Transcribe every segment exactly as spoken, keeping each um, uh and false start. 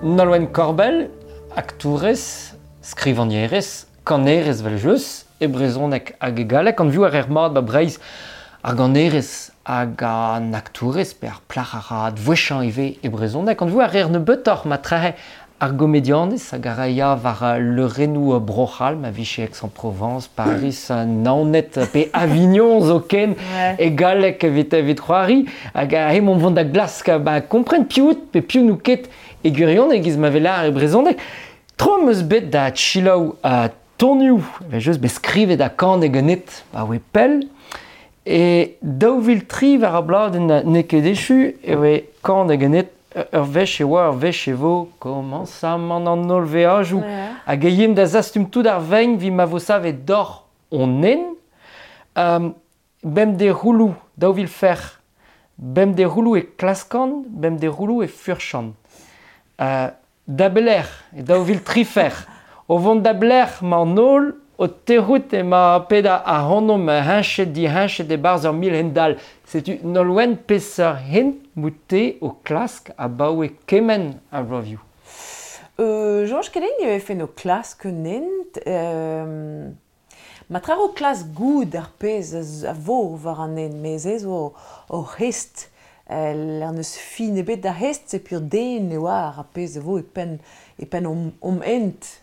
Nolwenn Korbell, aktourez, skrivagnerez, kanerez 'vel-just, e brezhoneg hag e galleg, anvioù a reer mat ba Breizh ar ganerez hag an aktourez pe ar plac'h a ra advouezhañ ivez e brezhoneg, anvioù a reer nebeutoc'h matrehe ar gomedianez hag a ra ya war leurennoù Bro-C'hall, ma vije Aix-en-Provence, Paris, Naoned pe Avignon zoken, e galleg evit evit c'hoari, hag hemañ vont da glask ba kompren piv out pe piv n'out ket e gwirionez e-giz ma vez lâret e brezhoneg. Tro 'm eus bet da selaou uh, tonioù, evel-just bet skrivet ha kanet ganit abaoe pell, e daou vil tri war ar bladenn n'eo ket echu e voe kanet ganit ur wech e oa, ur wech e vo komañsamant an holl veajoù. Hag e yemp da zastum tout ar vein evit ma vo savet doc'h hon hent. Um, bemdez c'houloù, daou vil fer. Bemdez c'houloù e klaskan, bemdez c'houloù e furchan. Uh, da belec'h, e daou vil tri fer. O vont da belec'h 'mañ an holl, o tec'hout emañ ped ac'hanomp heñchet diheñchet e-barzh ur mil hent-dall. Setu Nolwenn peseurt hent 'mout-te o klask abaoe kement a vloavioù? Euh, soñj ket din e vefen o klask un hent. Euh, ma tra o klask goût ar pezh a vo war an hent, met se zo o hest. El n'eus fin ebet da hest, se pur den e oar ar pezh a vo e penn, e penn om, om hent.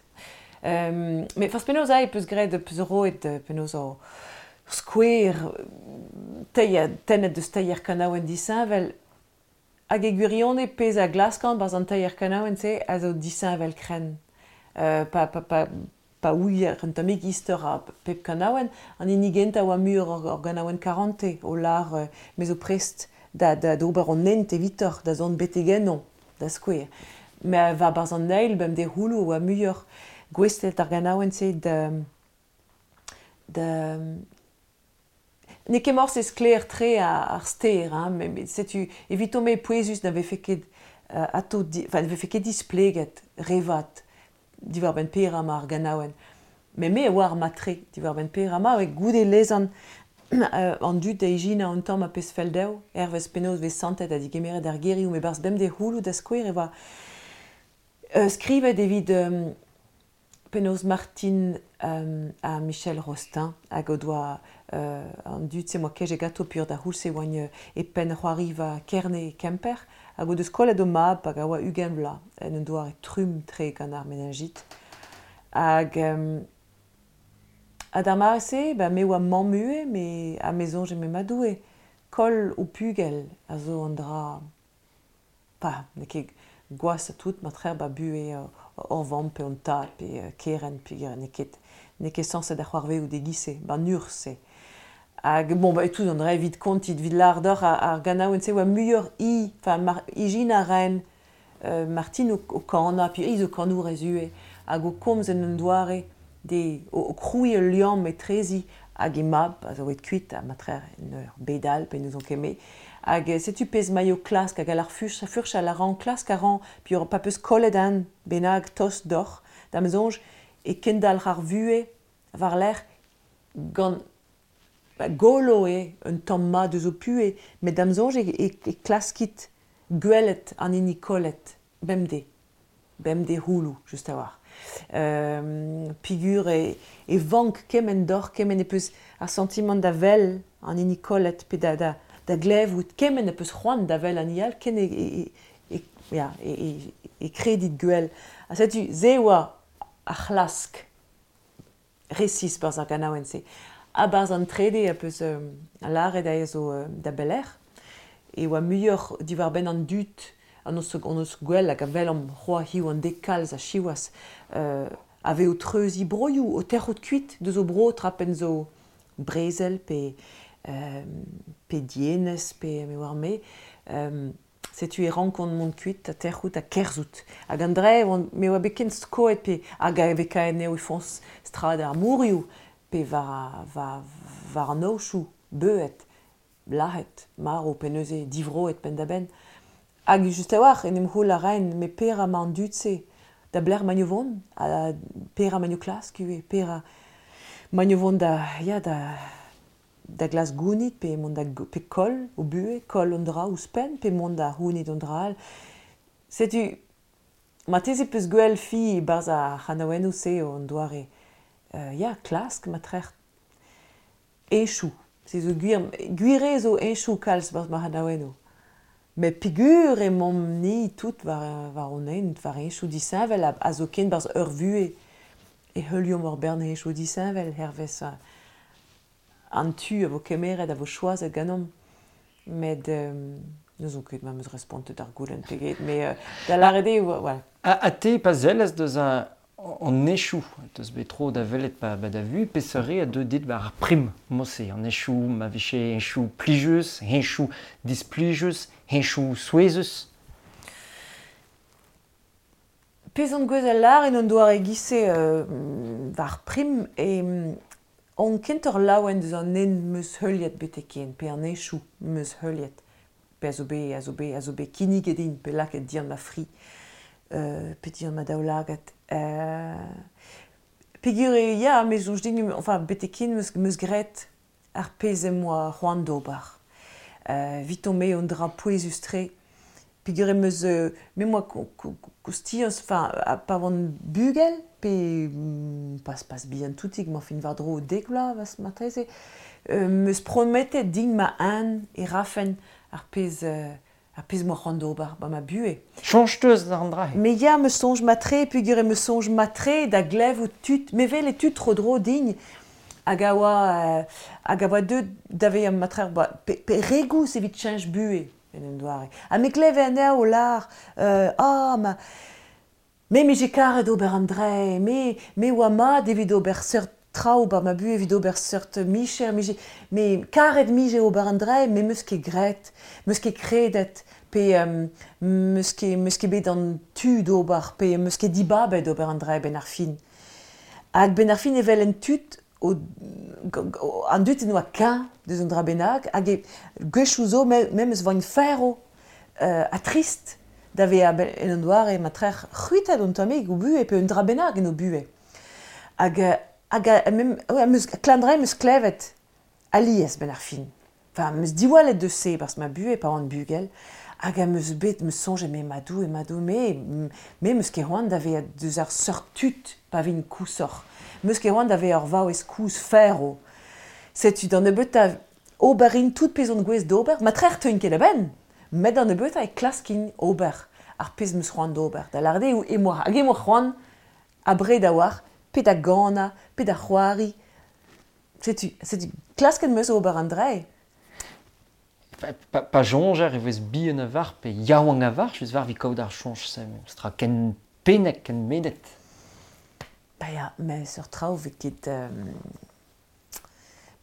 Um, met forzh penaos ae peus graet peus roet penaos o skouer teir, tennet deus teir kanaouenn disheñvel hag e gwirionez pezh a glaskan 'barzh an teir kanaouenn-se a zo disheñvel krenn. Uh, pa, pa, pa, pa ouier un tammig istor a pep kanaouenn, an hini gentañ oa muioc'h ur, ur ganaouenn karante o lâr uh, me zo prest da, da, d'ober an hent evitoc'h da zont betek ennon, da skouer. Met war 'barzh an eil bemdez c'houloù oa muioc'h gouestlet ar ganaouenn-se da, da n'eo ket morse sklaer-tre ar ster, hein, met setu eviton-me pouezus na vefe ket uh, atao di, enfin, ne vefe ket displeget re vat diwar-benn petra 'ma ar ganaouenn. Met me a oar mat-tre diwar-benn petra 'ma, hag goude lezan uh, an dud da ijinañ un tamm ar pezh fell dezho, hervez penaos vez santet ha digemeret ar gerioù, met 'barzh bemdez c'houloù da skouer e oa uh, skrivet evit um, penaos Martine um, ha Michel Rostin hag o doa uh, an dud-se 'moa kejet ganto pur da c'houlz e oant e penn c'hoariva Kerne e Kemper hag o deus kollet o mab hag a oa ugent vloaz en un doare trumm-tre gant ar meningite. Hag um, ha d'ar mare-se, ba, me oa mamm ivez, me, ha me soñje me ma Doue, koll ho pugel a zo an dra pa, n'eo ket gwashañ tout matreer ba buhez ur vamm pe un tad pe kerent pe n'eo ket n'eo ket sañset da c'hoarvezout e-giz-se, ba'n urzh-se. Hag bon, ba, tout an dra evit kontit, evit lâr deoc'h ar, ar ganaouenn-se oa muioc'h i, enfin, mar, ijinañ a raen uh, Martine o, o kanañ, puis i zo kanourez ivez, hag o komz en un doare de, o, o krouiñ ul liamm etrezi hag he mab, a zo aet kuit, ha matreer en ur bed all, pe n'ouzon ket me. Hag setu pezh 'maio klask hag al ar furch, furchal a ran, klask a ran, puis pa peus kollet un bennak tost deoc'h, da'm soñj, e kendalc'h ar vuhez war-lerc'h gant ba, golo eo un tamm mat eus ho puhez, met da'm soñj e, e, e klaskit gwelet an hini kollet bemdez, bemdez c'houloù, just a-walc'h. Euh, peogwir e, e vank kement deoc'h, kement e peus ar santimant da wel an hini kollet pe da, da, da glevout, kement e peus c'hoant da wel an hini all, ken e, e, e, ya, e, e, e kredit gwell. Ha setu, se oa ar c'hlask resis 'barzh ar ganaouenn-se. Ha 'barzh an trede a peus um, lâret aze zo uh, da belec'h, e oa muioc'h diwar-benn an dud an eus, an eus gwell hag a welomp c'hoazh hiziv an deiz kalz a siwazh uh, a vez o treuziñ broioù, o tec'hout kuit deus o bro trapen zo brezel pe, um, pe dienez pe me oar me. Um, setu e rankont mont kuit ha tec'hout ha kerzhout. Hag an dre, me oa bet ken skoet pe hag a vez kaet eo e foñs strad ar mourioù pe war, war, war an aochoù, beuet, lazhet, marv pe neuze divroet penn-da-benn. Hag just a-walc'h en em c'houl a raen, met petra 'ma an dud-se da belec'h 'maint o vont, ha petra 'maint o klask ivez, petra 'maint o vont da, ya, da, da glask gounit pe mont da pe koll o buhez, koll un dra ouzhpenn, pe mont da c'hounit un dra all. Setu Ma teze peus gwell fi barzh ar c'hanaouennoù se an doare euh, ya, klask ma trec'h eñchoù. Se zo gwir, gwir eo zo eñchoù kalz barzh ma c'hanaouennoù. Met peogwir emaomp-ni tout war, war hon hent, war eñchoù disheñvel a, a zo ken barzh ur vuhez e heuliomp ur bern eñchoù disheñvel hervez an tu a vo kemeret a vo choazet ganeomp. Met euh, n'ouzon ket ma 'm eus respontet ar goulenn pe get, met euh, da lâret eo, voilà. Ha, ha te pa zellez deus an, an echoù, deus bet tro da welet pa, ba da vu, peseurt a deu dit war ar prim mod-se, an echoù ma vije echoù plijus, echoù displijus, echoù souezhus? Pezh on gwezh al lâr en un doare giz-se euh, war prim e on kentoc'h laouen deus an hent 'm eus heuliet betek ken, pe an echoù 'm eus heuliet, pe a zo bet, a zo bet, a zo bet kinniget din, pe lakaet dian ma fri, euh, pe dian ma daoulagad. Euh, peogwir eo, ya, me soñj din, enfin, betek ken 'm eus, 'm eus graet ar pezh em boa c'hoant d'ober. Euh, eviton-me un dra pouezus-tre. Peogwir em eus, euh, me 'm boa koustiañs, enfin, pa oan bugel, pe pas, pas bihan toutik, ma fin war-dro dek vloaz marteze, euh, 'm eus prometet din ma-un e rafen ar pezh, euh, ar pezh 'm boa c'hoant d'ober ba ma buhez. Soñj 'teus d'an dra-se? Me ya, me soñj mat-tre, peogwir em eus soñj mat-tre da glevout tud, me wel e tud tro-dro din, hag a oa, euh, hag a oa deuet da vezañ matreer ba, pe, pe re gouzh evit cheñch buhez, en un doare. Ha me gleve anezho o lâr, euh, ah, ma, me 'mije karet ober an dra, me, me oa mat evit ober seurt traoù ba ma buhez, evit ober seurt micher, mije, me karet 'mije ober an dra, me 'm eus ket graet, 'm eus ket kredet, pe um, 'm eus ket, 'm eus ket bet an tu d'ober, pe 'm eus ket dibabet ober an dra ben ar fin. Hag ben ar fin evel en tud o, an dud en oa keñ deus an dra bennak, hag e gwechoù zo memes voint ferv euh, ha trist da vezañ en un doare ma trec'h c'hwitet un tammig o buhez pe un dra bennak en o buhez. Hag, hag mem, ouais, 'm eus, klan dra 'm eus klevet alies ben ar fin. Enfin, 'm eus diwallet deus se barzh ma buhez pa oan bugel, hag am eus bet 'm eus soñjet me ma Doue, ma Doue, me, me 'm eus ket c'hoant da vezañ deus ar seurt tud pa vin koshoc'h. 'M eus ket c'hoant da vezañ ur vaouez kozh ferv. Setu d'an nebeutañ ober in tout pezh on gouest d'ober, ma trec'h teuin ket a-benn, met d'an nebeutañ e klaskin ober ar pezh 'm eus c'hoant d'ober. Da lâret eo eo hag eo c'hoant abred a-walc'h, pe da ganañ, pe da c'hoari. Setu, setu klasket 'm eus ober an dra. Pa, pa, pa soñjer e vez bihan a-walc'h pe yaouank a-walc'h, just war vi kaout ar soñj-se, tra ken pennek, ken medet. Ba ya, met seurt traoù vez ket... Euh,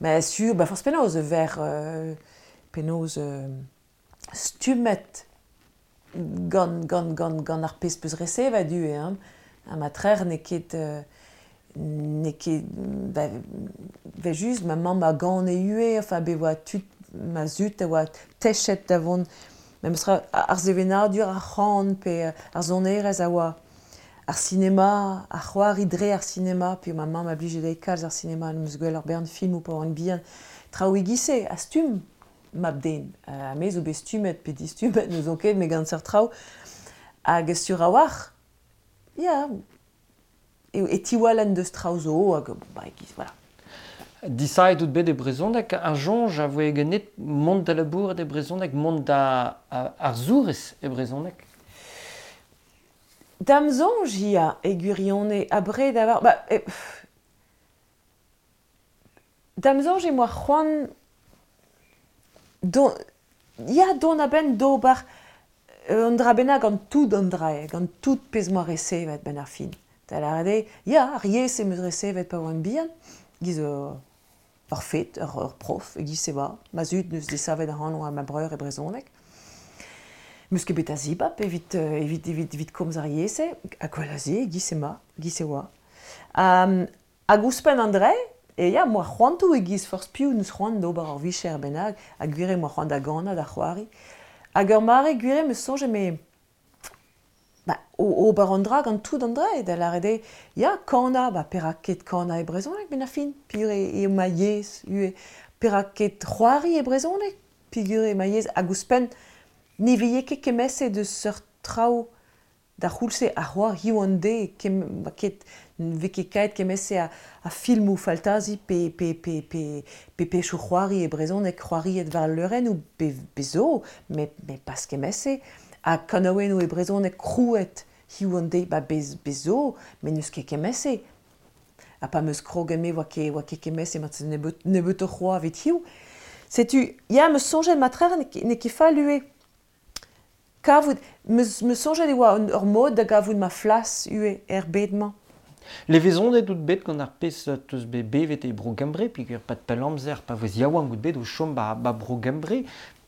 mais sur, ba forzh penaos ver euh, penaos euh, stummet gant, gant, gant, gant ar pezh peus resevet ivez, hein. Ha ma trec'h n'eo ket... Euh, n'eo ket... Ba, ve just ma mamm a gane ivez, enfin, bet oa tud ma zud a oa techet da vont memes tra ar sevenadur ar c'han pe ar sonerezh a oa ar sinema, ar c'hoari dre ar sinema, pe ma mamm a blije dezhi kalz ar sinema, 'm eus gwell ur bern filmoù pa oan bihan. Traoù e-giz-se, a stumm mab-den. Ha me zo bet stummet pe distummet, n'ouzon ket, met gant seurt traoù. Hag sur a-walc'h, ya, e, e tiwallen deus traoù zo, hag ba, e-giz, voilà. Disaet out bet e brezhoneg, ar soñj a voe ganit mont da labourat e brezhoneg, mont da arzourez e brezhoneg? Da'm soñj ya, e gwirionez, abred a-walc'h... Ba, e, da'm soñj em boa c'hoant don, ya, dont a-benn d'ober un dra bennak gant tout an dra, gant tout pezh 'm boa resevet benn ar fin. Da lâret eo, ya, ar yezh em eus resevet pa oan bihan, giz ur, ur fet, ur, ur prof, e-giz-se oa. Ma zud neus desavet ac'hanon ha ma breur e brezhoneg. 'M eus ket bet a zibab evit, evit, evit, evit komz ar yezh-se, ha gwell a se, e-giz-se 'ma, e-giz-se oa. Um, hag ouzhpenn an dra, e ya, 'm boa c'hoantoù e-giz forzh piv neus c'hoant d'ober ur vicher bennak, ha gwir eo 'm boa c'hoant da ganañ, da c'hoari. Hag ur mare gwir eo 'm eus soñjet me ba, ober an dra gant tout an dra, da lâret eo, ya, kanañ, ba, perak ket kanañ e brezhoneg benn ar fin, peogwir eo ma yezh ivez. Perak ket c'hoari e brezhoneg, peogwir eo ma yezh, hag ouzhpenn ne vije ket kemmeset eus seurt traoù D'ar c'houlz-se ar c'hoar hiziv an deiz kem, ket, vez ket kaet kement-se a, a filmoù faltazi pe, pe, pe, pe, pe pechoù c'hoari e brezhoneg c'hoariet war al leurennoù be, be zo, met, met pas kement-se. Ha kanaouennoù e brezhoneg krouet hiziv an deiz, ba bez, bez zo, met n'eus ket kement-se. Ha pa 'm eus kroget me oa ket, oa ket kement-se, mat nebeut, nebeutoc'h c'hoazh evit hiziv. Setu, ya, 'm eus soñjet matreer n'eo ket fall ivez. Kavout, 'm eus soñjet e oa ur mod da gavout ma flas ivez er bed-mañ. Levezonet out bet gant ar pezh teus bet bevet e Bro-Gembre, peogwir pad pell amzer pa voes yaouank out bet o chom ba, ba Bro-Gembre.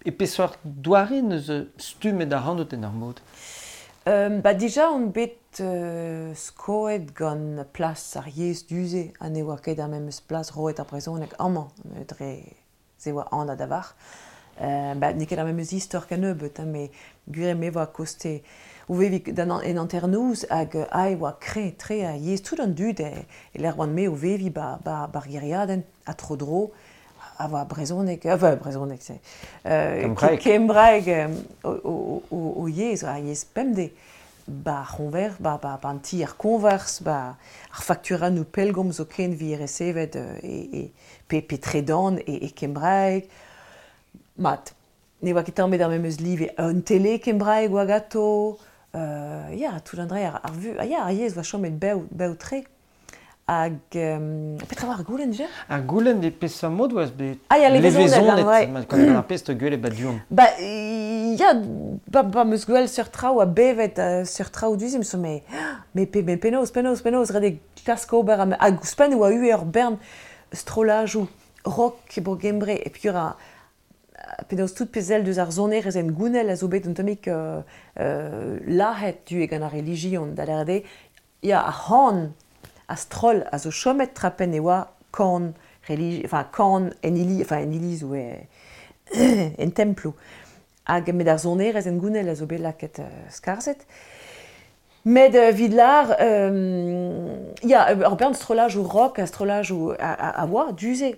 E peseurt doare neus stummet ac'hanout en ur mod? Euh, ba dija on bet euh, skoet gant plas ar yezh du-se ha ne oa ket ar memes plas roet ar brezhoneg amañ dre se oa anat a-walc'h. Euh, ba, n'eo ket ar memes istor kennebeut, hein, met gwir eo me oa koste o veviñ d'an en hanternoz hag ae oa kreñv-tre ar yezh tout an dud e, e lec'h oan me o veviñ ba, ba, ba'r gêriadenn ha tro-dro a oa brezhoneg, enfin brezhoneg c'est euh, Kembraeg. Kembraeg o, o, o, o yezh, ar yezh pemdez. Ba ar c'hoñver, ba, ba, ba an ti ar koñvers, ba ar fakturennoù pellgomz zoken vi resevet e, e, pe, pe tredan e, e kembraeg. Mat, ne oa ket tamm ebet ar memes live. Un tele kembraeg oa ganto, euh, ya, tout an dra ar, ar vu, ah, ya, ar yezh oa chomet bev, bev-tre. Hag, euh, petra oa ar goulenn dija? Ar goulenn e peseurt mod oas bet Ah ya, levezonet, levezonet, ouais. ma- gant ar pezh te gwelet ba du-hont. Ba, ya, ba, ba 'm eus gwell seurt traoù a bevet uh, seurt traoù du-se, 'm eus me, me, pe, me penaos, penaos, penaos, ret eo klask ober, ha, hag ouzhpenn e oa ivez ur bern strollajoù rock e Bro-Gembre, e peogwir a, penaos tout pezh sell deus ar sonerezh en gounell a zo bet un tammig euh, euh, lazhet du gant ar relijion, da lâret eo, ya, ar c'han a stroll a zo chomet trapen e oa kan religi, enfin kan en ili, enfin en iliz oe en temploù. Hag met ar sonerezh en gounell a zo bet lakaet uh, skarzhet. Met uh, evit lar, euh, ya, ur bern strollajoù rock ha strollajoù a, a, a oa du-se.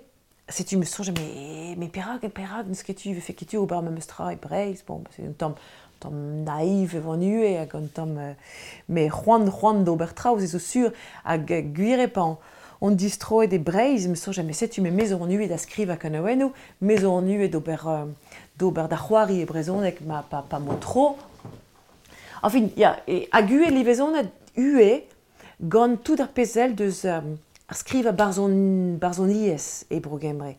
Setu 'm eus soñjet, mais, mais perak, perak n'eus ket tu, vefe ket tu ober memes tra e Breizh, bon, c'est un tamm, tamm naïv e oan ivez hag un tamm, euh, mais c'hoant, c'hoant d'ober traoù, se zo sur, hag gwir eo pa on distroet e Breizh, 'm eus soñjet, mais setu me me zo an ivez da skrivañ kanaouennoù, me zo an ivez d'ober, euh, d'ober da c'hoari e brezhoneg ma pa, pa mo tro. Enfin, ya, e, hag ivez levezonet ivez gant tout ar pezh sell deus euh, ar skrivañ barzhon, barzhoniezh e Bro-Gembre.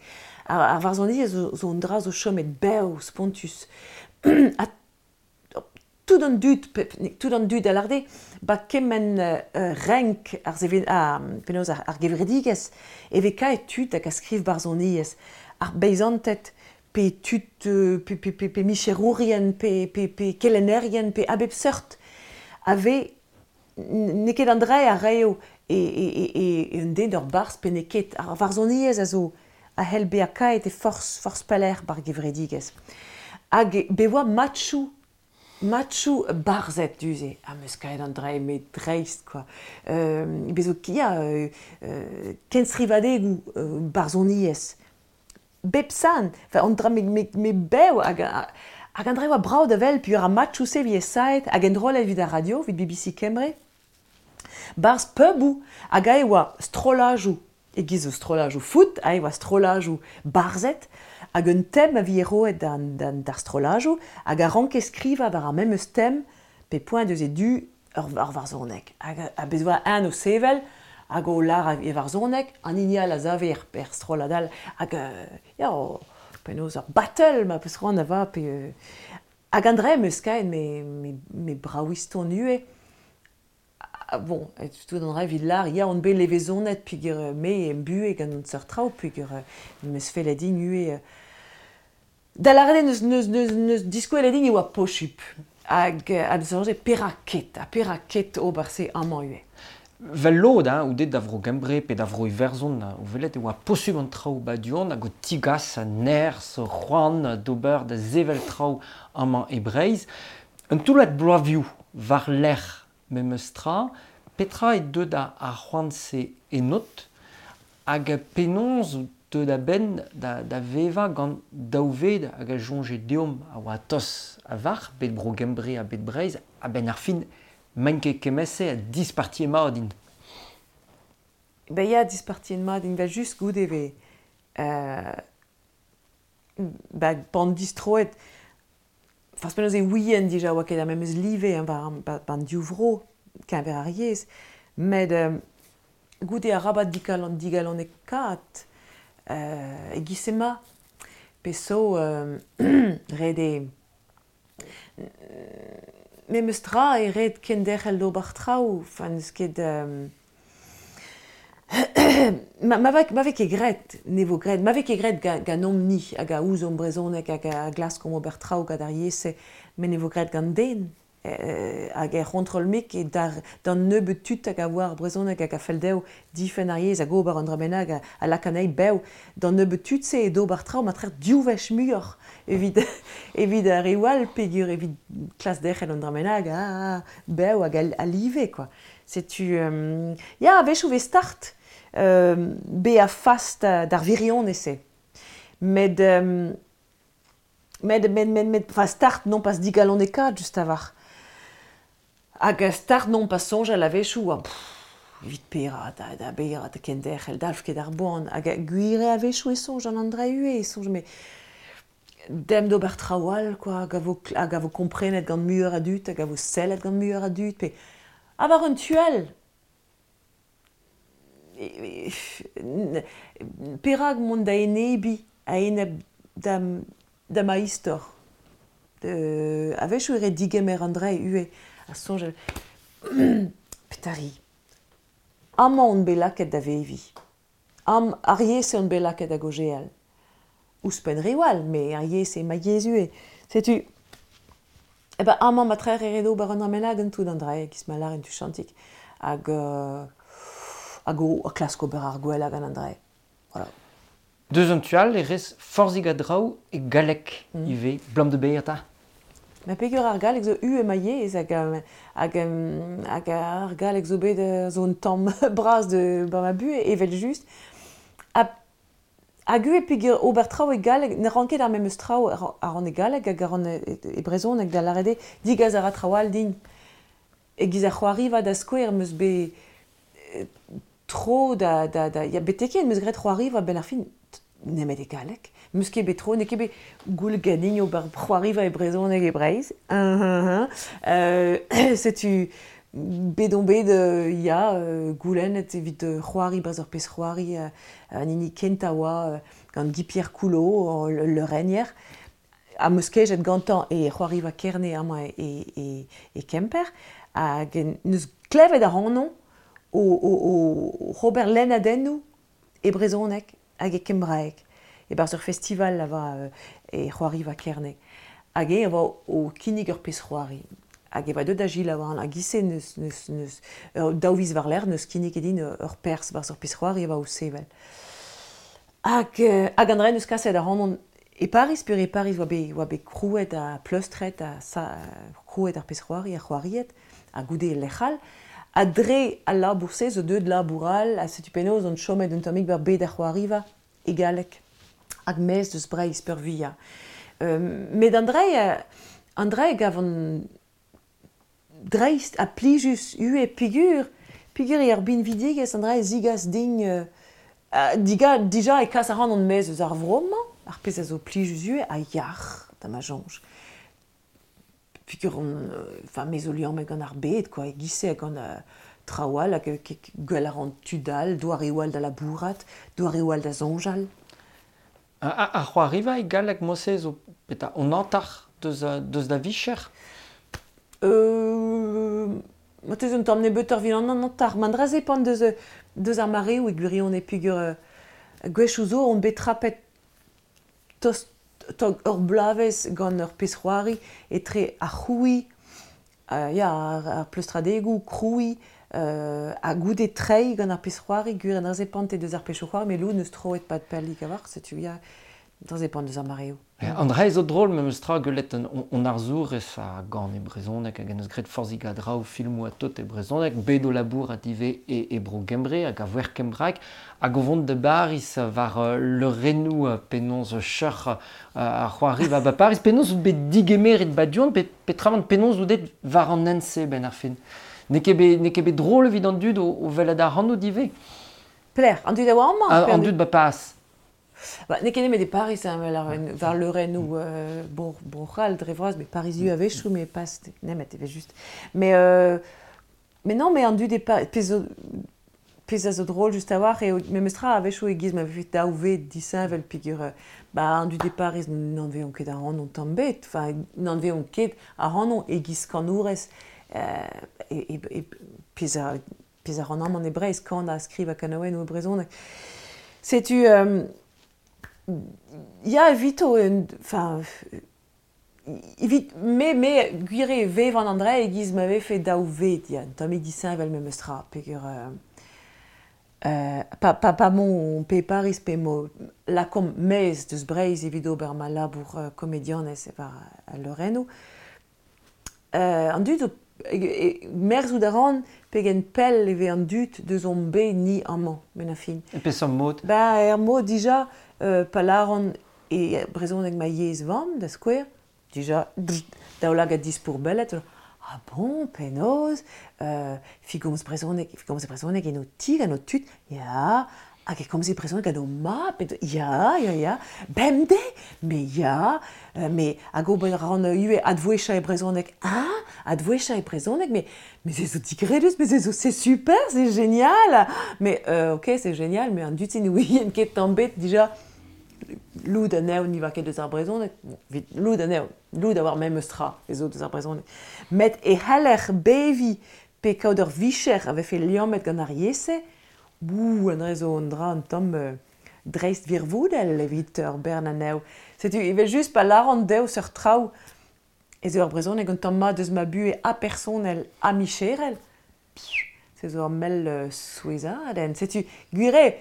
Ar, ar varzhoniezh zo, zo un dra zo chomet bev, spontus. Ha tout an dud, pe, tout an dud a lâre ba kement euh, renk ar seven, a, penaos ar, ar gevredigezh e vez kaet tud hag a skriv barzhoniezh. Ar beizanted, pe tud, euh, pe, pe, pe, pe micherourien, pe, pe, pe kelennerien, pe a bep seurt, a vez n'eo ket an dra a raio e, e, e, e un den d'ur barzh pe n'eo ket. Ar varzhoniezh a zo a c'hell bezañ kaet e forzh, forzh pelec'h bar gevredigezh. Hag be oa matchoù, matchoù barzhed du-se. Ha 'm eus kaet an dra met dreist, quoi. Euh, bez zo ya, euh, euh, kenstrivadegoù euh, barzhoniezh. Bep san, enfin, an dra me, me, me bev hag, hag an dra oa brav da wel, puis ar matchoù-se vi saet hag enrollet evit ar radio, evit B B C Kembre. Barzh puboù, hag ae oa strollajoù, e-giz zo strollajoù foot, ae oa strollajoù barzhed, hag un tem a vi roet d'an, d'an, d'ar strollajoù, hag a ranke skrivañ war ar memes tem, pe poent deus e du ur, ur varzhoneg. Hag a bez oa un o sevel, hag o lar e varzhoneg, an hini all a zave er, er strollad all, hag euh, ya, o, penaos ur battle ma peus c'hoant a va, pe... Euh, hag an dra em eus kaet me, me, me braouiston ivez. Ah, bon, et tout an dra evit lar, ya, on bet levezonet peogwir me em buhe gant an seurt traoù, peogwir 'm eus fellet din ivez. Da lâret eo neus, neus, neus, neus diskouelet din e oa posupl. Hag a soñje perak ket, ha perak ket ober se amañ ivez. Vel lod, hein, ou det da vro Gembre pe da vro Iwerzhon, o welet e oa posupl an traoù ba du-hont hag o tigas a nerzh, c'hoant d'ober da sevel traoù amañ e Breizh. Un toullad bloavioù war lerc'h memes tra, petra e deut ar, ar c'hoant-se enot hag penaos deut a-benn da, da vevañ gant daou ved hag a soñje deomp a oa tos a-varc'h, bet Bro Gembre ha bet Breizh, a-benn ar fin Maint ket kement-se ha dispartiet mat int. Ben ya, dispartiet mat int, just goude ve euh, ba, pan distroet, Fas penaos e ouien dija oa ket ar memes live hein, war ban div vro, keñver ar yezh, met euh, goude arabat digalon, digalonekaat euh, e-giz ema, pe so euh, ret eo memes tra e ret kenderc'hel d'ober traoù, enfin n'eus ket euh, ma, ma, va, ma vez ket graet, ne vo graet, ma vez ket graet ga, ganeomp-ni hag a ouzomp brezhoneg hag a glaskomp ober traoù gant ar yezh-se, met ne vo graet gant den. Eh, hag er c'hontrol-mik e d'ar, d'an nebeud tud hag a oar brezhoneg hag a fell dezho difenn ar yezh hag ober an dra bennak a lak anezhi bev, d'an nebeud tud-se e d'ober traoù ma trec'h div wech muioc'h evit, evit ar reoù all peogwir evit klas derc'hel an dra bennak ah, bev hag a live quoi. Setu, euh, ya, a-wechoù vez start euh, bezañ fas d'ar wirionez-se. Met, euh, met, met, met, met, enfin, start non pas digalonekaat just a-walc'h. Hag start non pas soñjal a-wechoù, ah, evit pera da, da bera da kenderc'hel, dalv ket ar boan. Hag gwir eo a-wechoù e soñj an dra ivez, e soñj met demp d'ober traoù all, quoi, hag a vo, hag a vo komprenet gant muioc'h a dud, hag a vo sellet gant muioc'h a dud, pe ha war un tu all. Perak mont da enebiñ a-enep da, da ma istor. Euh, a-wechoù e ret digemer an dra ivez. A soñjal, petari. Amañ on bet lakaet da veviñ. Am, ar yezh on bet lakaet da gaozeal. Ouzhpenn reoù all, met ar yezh eo ma yezh ivez. Setu, e ben amañ ma trec'h e ret ober an dra bennak gant tout an dra, e-giz ma lâren tuchantik. Hag, euh, hag o klask ober ar gwellañ gant an dra. Voilà. Deus an tu all e rez forzhig a draoù e galleg mm. ivez, blam de bezañ 'ta. Ma peogwir ar galleg zo u e ma yezh hag, hag, hag ar galleg zo bet zo un tamm bras de ba ma buhez evel-just. Ha, hag ivez peogwir ober traoù e galleg, ne ran ket ar memes traoù a ran e galleg hag a ran e, e brezhoneg da lâret eo digas a ra traoù all din. E-giz ar c'hoariva da skouer 'm eus bet tro da, da, da, ya betek 'm eus graet c'hoariva benn ar fin nemet e galleg. 'M eus ket bet tro, n'eo ket bet goull ganin ober c'hoariva e brezhoneg e Breizh. Un, un, un. Euh, setu bet on bet euh, ya euh, goulennet evit c'hoari barzh ur pezh c'hoari euh, an hini kentañ oa gant Guy-Pierre Coulot, le renier. Ha 'm eus kejet gantañ e c'hoariva Kerne amañ e, e, e Kemper. Hag neus klevet ac'hanon o, o, o ober lennadennoù e brezhoneg hag e kembraeg. E-barzh ur festival a va e c'hoariva Kerne. Hag e a oa o kinnig ur pezh c'hoari. Hag e oa deuet da selaou an hag ise neus, neus, neus, ur daou viz war-lerc'h neus kinniget din ur perzh barzh ur pezh c'hoari a oa o sevel. Hag, hag an dra neus kaset ac'hanon e Pariz, peogwir e Pariz oa bet, oa bet krouet ha pleustret ha sa, krouet ar pezh c'hoari ha c'hoariet, ha goude e lec'h all. Ha dre al labour-se zo deuet labour all, ha setu penaos on chomet un tammig war bed ar c'hoariva e galleg. Hag maez deus Breizh peurvuiañ. Euh, met an dra, an dra gavan dreist ha plijus ivez peogwir, peogwir eo ar binvidigezh an dra zigas din euh, diga, dija e kas ac'hanon maez eus ar vro-mañ, ar pezh a zo plijus ivez ha yac'h da ma soñj. Peogwir on, enfin, me zo liammet gant ar bed, quoi, e-giz-se gant euh, traoù all hag gwell a ran tud all, doareoù all da labourat, doareoù all da soñjal. Ar c'hoariva e galleg mod-se zo petra on hanter deus, deus da vicher? Euh, marteze un tamm nebeutoc'h evit an hanter. Ma dra zepant deus, deus ar mareoù e gwirionez peogwir euh, gwechoù zo on bet trapet tost tog ur bloavezh gant ur pezh c'hoari etre ar c'hrouiñ, euh, ya, ar, ar pleustradegoù, krouiñ, euh, ha goude treiñ gant ar pezh c'hoari, gwir an dra zepante deus ar pezhioù c'hoari, met lod neus troet pad pellik a-walc'h, setu ya, Dra zepant deus ar mareoù. An dra zo drol memes tra gwelet on arzourez a gant e brezhoneg hag en eus graet forzhig a draoù filmoù ha tot e brezhoneg, bet o labourat ivez e, e bro Gembre hag a voer kembraek hag o vont da Baris war uh, leurennoù uh, penaos cheuc'h uh, ar c'hoari war ba Paris, penaos out bet digemeret ba du-hont, pe, petramant penaos out bet war an hent-se ben ar fin. N'eo ket bet, n'eo ket bet drol evit an dud o, o welet ac'hanout ivez. Pelec'h, an dud a oa amañ? An dud ba pas. Ba, n'eo ket nemet e Paris, hein, war leurennoù euh, bro, Bro-C'hall dre vras, mais Pariziu a-wechoù, mais pas nemet evel just. Mais, euh, mais non, mais an dud e Paris, pezh zo, pezh a zo drol just a-walc'h eo memes tra a-wechoù e-giz ma vefe daou ved disheñvel peogwir euh, ba, an dud e Paris n'anveont ket ac'hanon tamm ebet, enfin n'anveont ket ac'hanon e-giz kanourez euh, e, e, e, pezh a, pezh a ran amañ e Breizh, kanañ, skrivañ kanaouennoù e brezhoneg. Setu euh, ya, evito, enfin, evit, me, me, gwir eo vevan an dra e-giz ma vefe daou ved, ya, un tammig disheñvel memes tra, peogwir euh, euh, pa, pa, pa mon pe Paris pe mo lakomp maez deus Breizh evit ober ma labour euh, komedianez war al leurennoù. Euh, an dud zo e, e, merzout a ran pegen pell e vez an dud deus hon bet ni amañ, 'benn ar fin. E peseurt mod? Ba, er mod dija, euh, pa lâran e brezhoneg ma yezh vamm, da skouer, dija, daoulagad dispourbellet, ah bon, penaos, euh, fi gomz brezhoneg, fi gomz brezhoneg en ho ti gant ho tud, ya, hag e komze brezhoneg gant ho mab, ya, ya, ya, bemdez, mais ya, euh, mais hag ober a ran ivez advouezhañ e brezhoneg, ah, advouezhañ e brezhoneg, mais, mais se zo digredus, mais se zo, c'est super, c'est génial, mais euh, ok, c'est génial, mais an dud-se ne ouient ket tamm ebet dija, lod anezho ne oa ket deus ar brezhoneg, bon, evit lod anezho, lod a oar memes tra ez zo deus ar brezhoneg. Met e c'haller beviñ pe kaout ur vicher a vefe liammet gant ar yezh-se, bouh, an dra zo un dra un tamm euh, dreist wirvoudel evit ur bern anezho. Setu evel-just pa lâran dezho seurt traoù ez eo ar brezhoneg un tamm mat deus ma buhez ha personel ha micherel, se zo ur mell euh, souezhadenn. Setu gwir eo,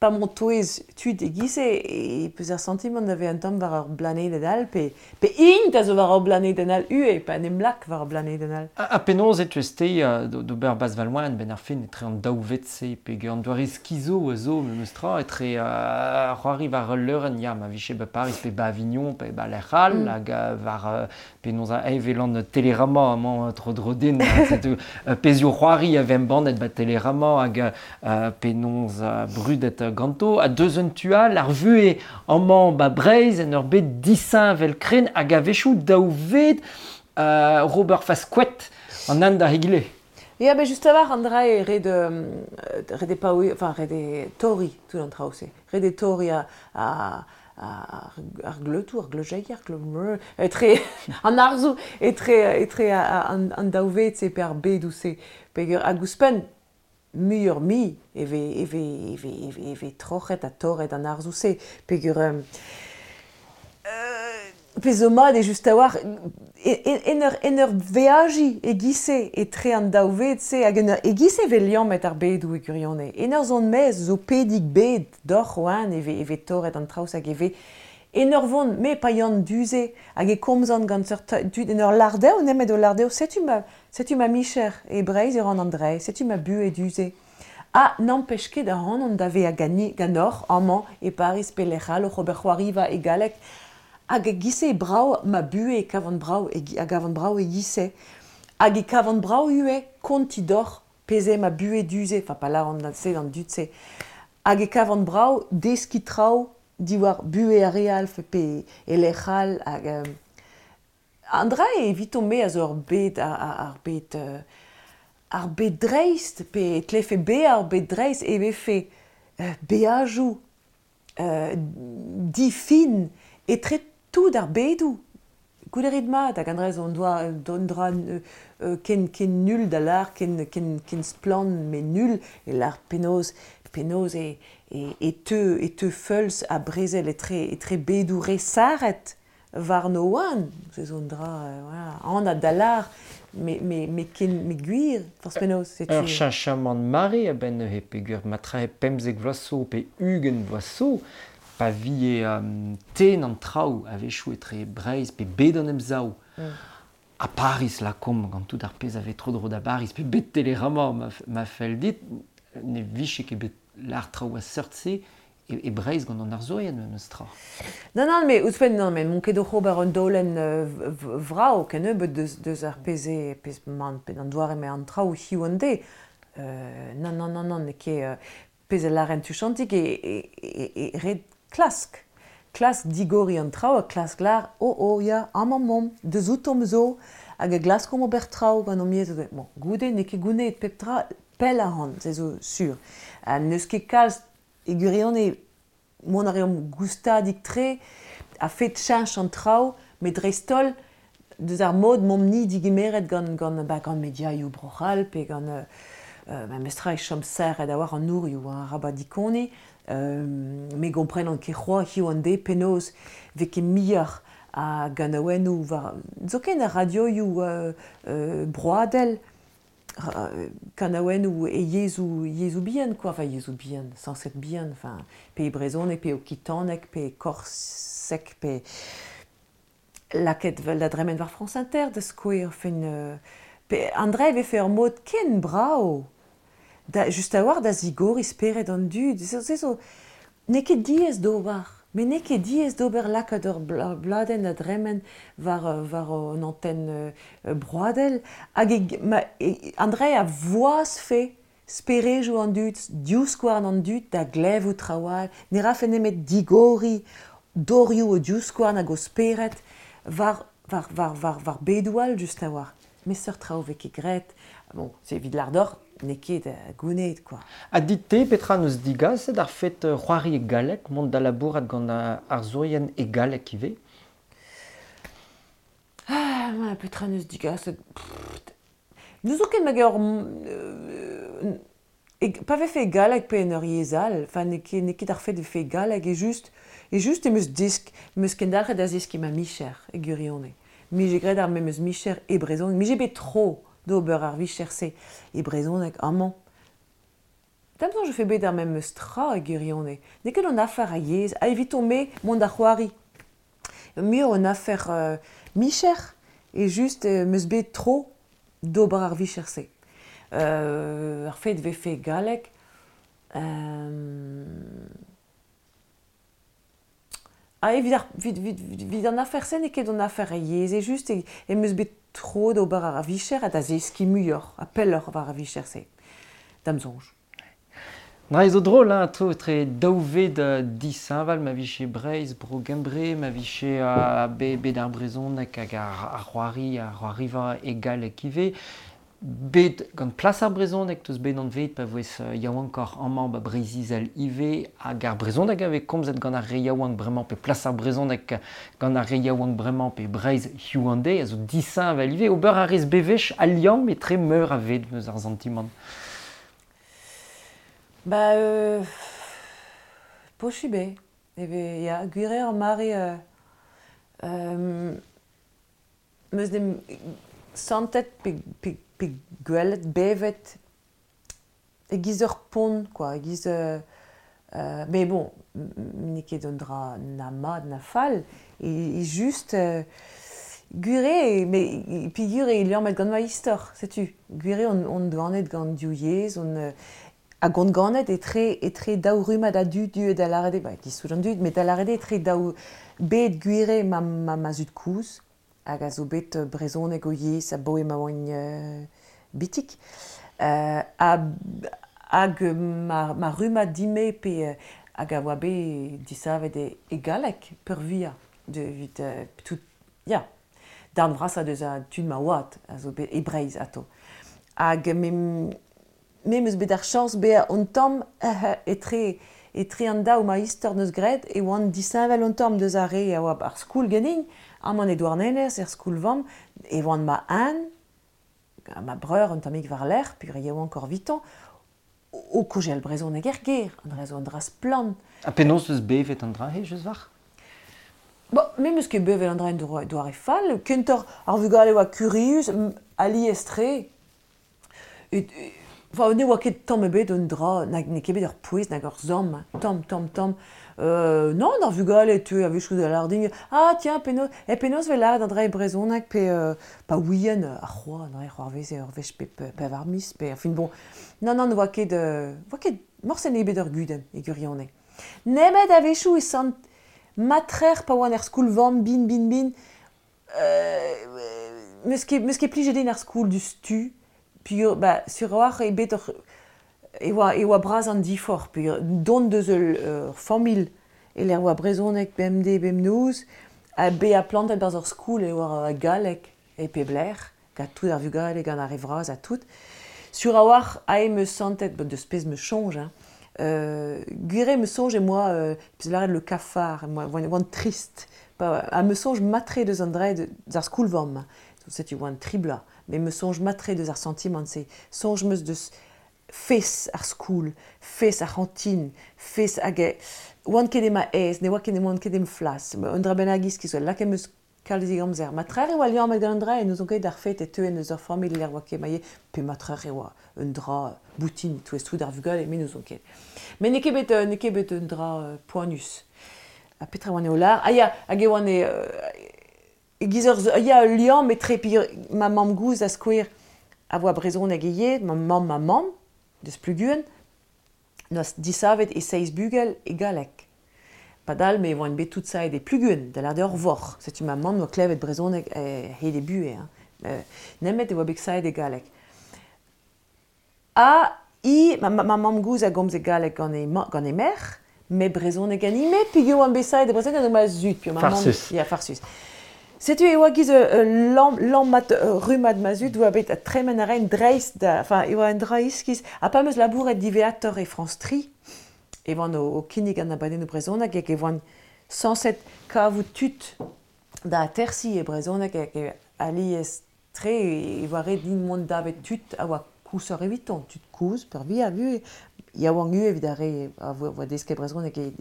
pa m'on touez tud e-giz-se e peus ar santimant da vezañ un tamm war ur blanedenn all pe, pe int a zo war ur blanedenn all ivez, pa en em lak war ur blanedenn all. Ha, ha penaos e teus-te uh, d'ober Baz Valloin ben ar fin etre an daou ved-se peogwir an doare skizo a zo memes tra etre uh, c'hoari war ul leurenn, ya, ma vije ba Paris pe ba Avignon pe ba lec'h all, mm. hag uh, war uh, penaos a evel an Télérama amañ tro-dro din, setu uh, pezhioù c'hoari a vez embannet ba Télérama hag uh, penaos uh, brudet uh, ganto, ha deus un tu all, ar vuhez amañ ba Breizh en ur bed disheñvel kren hag a-wechoù daou ved uh, Robert Fasquette an an da egile. Ya, ben just a-walc'h an dra eo ret, euh, ret eo paouez, enfin ret eo torriñ tout an traoù-se. Ret eo torriñ a, a, ar, ar gleutoù, ar gleujeier, ar gleu... etre an arzoù, etre, etre an, an daou ved-se pe ar bedoù-se. Peogwir hag ouzhpenn, muioc'h mui e vez, e vez, e vez, e vez, e vez troc'het ha torret an arzoù-se. Peogwir euh, euh, pezh zo mat eo just a-walc'h en ur, en ur veajiñ e-giz-se etre an daou ved-se hag en ur e-giz-se e vez liammet ar bedoù e gwirionez. En ur zont maez zo pedig bed doc'h oan e vez, e vez torret an traoù hag e vez en ur vont me pa yan du-se hag e komzan gant seurt tud en ur lâr dezho nemet o lâr dezho setu ma, setu ma micher e Breizh e ran an dra, setu ma buhez du-se. Ha n'empech ket ac'hanon da vezañ gani, ganeoc'h amañ e Paris pe lec'h all oc'h ober c'hoariva e galleg hag e-giz-se e brav ma buhez e kavan brav e, a gavan brav e-giz-se. Hag e kavan brav ivez kontiñ deoc'h pezh eo ma buhez du-se, enfin pa lâran se d'an dud-se. Hag e kavan brav deskiñ traoù diwar buhez ar re all pe e lec'h all hag euh, an dra eo eviton-me a zo ur bed ar, ar bed euh, ar bed dreist pe e tlefe bezañ ar bed dreist e vefe euh, beajoù euh, difin etre tout ar bedoù. Goude rit mat hag an dra zo un doa un dra euh, ken, ken nul da lâr, ken, ken, ken splann met nul e lâr penaos penaos e, e, e teu, e teu feulz ha brezel etre, etre bedoù re sarret warno oan. Se zo un dra, euh, voilà, anat da lâr, me, me, me ken, me gwir, forzh penaos, setu... Ur cheñchamant mare a-benn neuze peogwir matre pemzek vloaz zo pe ugent vloaz zo, Pa vie um, ten an traoù a-wechoù etre Breizh pe bet an emsav. Mm. A Paris la kom gant tout ar pezh a vez tro dro da Paris pe bet Télérama ma, ma fell dit ne vije ket bet l'ar traoù a seurt-se e, e Breizh gant an arzourien memes tra. Non, non, mais ouzhpenn, non, mais mon ket oc'h ober un daolenn euh, vrao kennebeut deus, deus ar pezh e, pezh man, pe an doare me an traoù hiziv an deiz. Euh, non, non, non, non, n'eo ket euh, pezh a lâren tuchantik e, e, e, e ret klask. Klask digoriñ an traoù ha klask lâr, oh, oh, ya, amañ 'momp, deus outomp zo, hag a glaskomp ober traoù gant hon yezh. Bon, goude n'eo ket gounezet pep tra pell ac'hann, se zo sur. Ha n'eus ket kalz e gwirionez mont a reomp goustadik-tre a-fet cheñch an traoù, met dreist-holl deus ar mod momp-ni digemeret gant, gant, ba, gant mediaioù Bro-C'hall pe gant euh, euh, memestra e chom serret a-walc'h an nourioù, hein, arabat dikoniñ, euh, me gomprenan ket c'hoazh hiziv an deiz penaos 'vez ket muioc'h a ganaouennoù war zoken ar radioioù euh, euh, broadel, kanaouennoù e yezhoù yezhoù bihan quoi, enfin yezhoù bihan, sañset bihan, enfin pe brezhoneg, pe okitaneg, pe korseg, pe lakaet vel da dremen war France Inter da skouer, enfin euh, pe an dra e vefe ur mod ken brav da just a-walc'h da zigoriñ spered an dud, se zo n'eo ket diaes d'ober, met n'eo ket diaes d'ober lakaat ur bladenn da dremen war, war an antenn broadel, hag e, ma, e, an dra a voazfe sperejoù an dud, divskouarn an dud da glevout traoù all, ne rafe nemet digoriñ dorioù o divskouarn hag o spered war, war, war, war, war bedoù all just a-walc'h. Met seurt traoù 'vez ket graet. Bon, c'est evit lâr deoc'h, n'eo ket gounezet quoi. Ha dit-te petra n'eus digaset ar fet c'hoari e galleg, mont da labourat gant arzourien e galleg ivez? Ah, ma, petra n'eus digaset. N'eus ket ma ur euh, e, pa vefe e galleg pe en ur yezh all, enfin n'eo ket, n'eo ket ar fet vefe e galleg, e just, e just em eus disk, em eus kendalc'het da zeskiñ ma micher e gwirionez. Mije graet ar memes micher e brezhoneg, mije bet tro d'ober ar vicher-se e brezhoneg amañ. D'am soñj je fais bet ar memes tra e gwirionez. N'eo ket an afer a yezh, ha eviton-me mont da c'hoari. Muioc'h un afer euh, micher, e just euh, 'm eus bet tro d'ober ar vicher-se. Euh, ar fet vefe galleg, euh, Ah, evit ar, evit, evit, evit an afer-se n'eo ket an afer a yezh, e just e, em eus bet tro d'ober ar vicher ha da zeskiñ muioc'h, ha pelloc'h war ar vicher-se. D'am soñj. Dra zo drol, hein, atao etre daou ved disheñvel, ma vije Breizh, Bro Gembre, ma vije uh, be, bet ar brezhoneg hag ar, ar c'hoari, ar c'hoariva e galleg ivez. Bet gant plas ar brezhoneg teus bet anvet pa voes yaouankoc'h amañ ba Breizh-Izel ivez hag ar brezhoneg a vez komzet gant ar re yaouank bremañ pe plas ar brezhoneg gant ar re yaouank bremañ pe Breizh hiziv an deiz a zo disheñvel ivez ober a rez bewech al liamm etre meur a ved meus ar santimant. Ba euh, posubl eo. E vez, ya, gwir eo ar mare euh, euh, meus dem santet pe, pe, pe gwelet, bevet e-giz ur pont, quoi, e-giz euh, euh, mais bon, n'eo ket un dra na mat na fall, e, e just euh, gwir eo, mais peogwir eo liammet gant ma istor, setu. Gwir eo on, on ganet gant div yezh, on euh, hag on ganet etre, etre daou rummad a dud deuet da lâret eo, ba, giz tout an dud, met da lâret eo etre daou bed gwir eo ma, ma, ma zud-kozh, hag a zo bet brezhoneg o yezh abaoe ma oan euh, bitik. Euh, ha, hag ma, ma rummad din-me pe hag a oa bet disavet e, e galleg peurvuiañ de, evit euh, tout, ya, darn vrasañ deus a tud ma oad a zo bet e Breizh atao. Hag me, me 'm eus bet ar chañs bezañ un tamm etre etre an daou ma istor neus graet e oan disheñvel un tamm deus ar re a oa ar skol ganin, amañ e Douarnenez, er skol-vamm, e oan ma un, ma breur un tammig war-lerc'h, peogwir yaouankoc'h 'vitañ, o kaozeal brezhoneg er gêr, an dra zo un dra splann. Ha penaos eus bevet an dra-se, just war? Bon, me 'm eus ket bevet an dra en doare fall, kentoc'h ar vugale oa kurius, alies-tre. Et, Enfin, ne oa ket tamm ebet un dra, nag n'eo ket bet ur pouez nag ur zamm, tamm, tamm, tamm. Euh, non, ar vugale e teu a-wechoù da lâret din, ah tiens, penaos, e penaos 'vez lâret an dra e brezhoneg pe euh, pa ouien ar c'hoa, an dra c'hoarveze ur wech pe pevar miz, pe enfin bon. Non, non, ne oa ket, euh, oa ket morse n'eo bet ur gudenn e gwirionez. Nemet a-wechoù e sant matrer pa oan er skol-vamm bin, bin, bin, euh, meus ket, meus ket plijet din ar skol du stu, puis ba, sur a-walc'h eo bet ur, e oa, e oa bras an diforc'h, peogwir dont deus ul ur familh e lec'h oa brezhoneg bemdez bemnoz, ha bezañ plantet barzh ur skol e oa galleg e pep lec'h, gant tout ar vugale, gant ar re vras ha tout. Sur a-walc'h ae 'm eus santet, bon, deus pezh 'm eus soñj, hein, euh, gwir eo 'm eus soñj em boa, euh, pezh lâret le cafard, em boa, oan trist, pa, ha 'm eus soñj mat-tre deus an dra deus ar skol-vamm, setu oan tri bloaz, met 'm eus soñj mat-tre deus ar santimant-se, soñj 'm eus deus fes ar skol, fes ar c'hantin, fes hag oan ket ema aes, ne oa ket oan ket em flas, un dra bennak iskis, lakaet 'm eus kalzik amzer. Matrer e oa liammet gant an dra, e n'ouzon ket ar fet e teuen eus ur familh lec'h oa ket ma pe matrer e oa un dra boutin touez tout ar vugale, me n'ouzon ket. Met n'eo ket bet, n'eo ket bet un dra poanius. Ha petra oan eo lâr? Ah ya, hag e oan e, e-giz ur, ya, ul liamm etre ma mamm-gozh da skouer a oa brezhoneg ivez, ma mamm ma mamm, deus Pluguen, noa disavet e seizh bugel e galleg. Padal me oan bet tout saet e Pluguen, da lâret ur vorc'h. Setu ma mamm noa klevet brezhoneg hed e buhez. Hein. Nemet e oa bet saet e galleg. Ha i, ma, ma mamm-gozh a gomze galleg gant he, gant he merc'h, met brezhoneg anime, peogwir oan bet saet e brezhoneg gant ma zud. Puis ma mamm, Farsus. Ya, farsus. Setu e oa giz ul lamm, lammat rummad ma zud oa bet tremen a raen dreist da, enfin, e oa un dra iskis. Ha pa 'm eus labouret diwezhatoc'h e France tri, e oan o, o kinnig an abadennoù brezhoneg hag e oan sañset kavout tud da atersiñ e brezhoneg hag e alies tre e oa ret din mont davet tud a oa koulsoc'h eviton, tud kozh peurvuiañ vu yaouank ivez evit ar re a voa desket brezhoneg e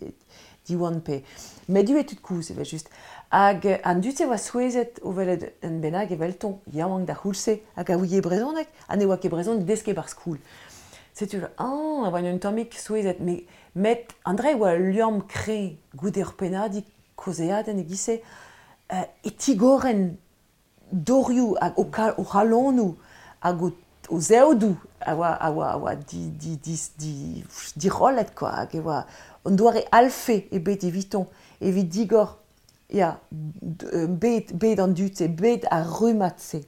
Diwan pe. Met ivez tud kozh evel-just. Hag an dud-se oa souezhet o welet un bennak evelton, yaouank d'ar c'houlz-se, hag a ouie brezhoneg, ha ne oa ket brezhoneg desket ba'r skol. Setu, ah, a oa un tammig souezhet, met, met an dra e oa ul liamm kreñv goude ur pennadig kaozeadenn e-giz-se, euh, e tigoren dorioù hag o, o c'halonoù hag o, o zeodoù a oa, a oa, a oa di, di, di, di, dirollet, quoi, hag e oa un doare alfe ebet eviton, evit digor, ya, bet, bet an dud-se, bet ar rummad-se.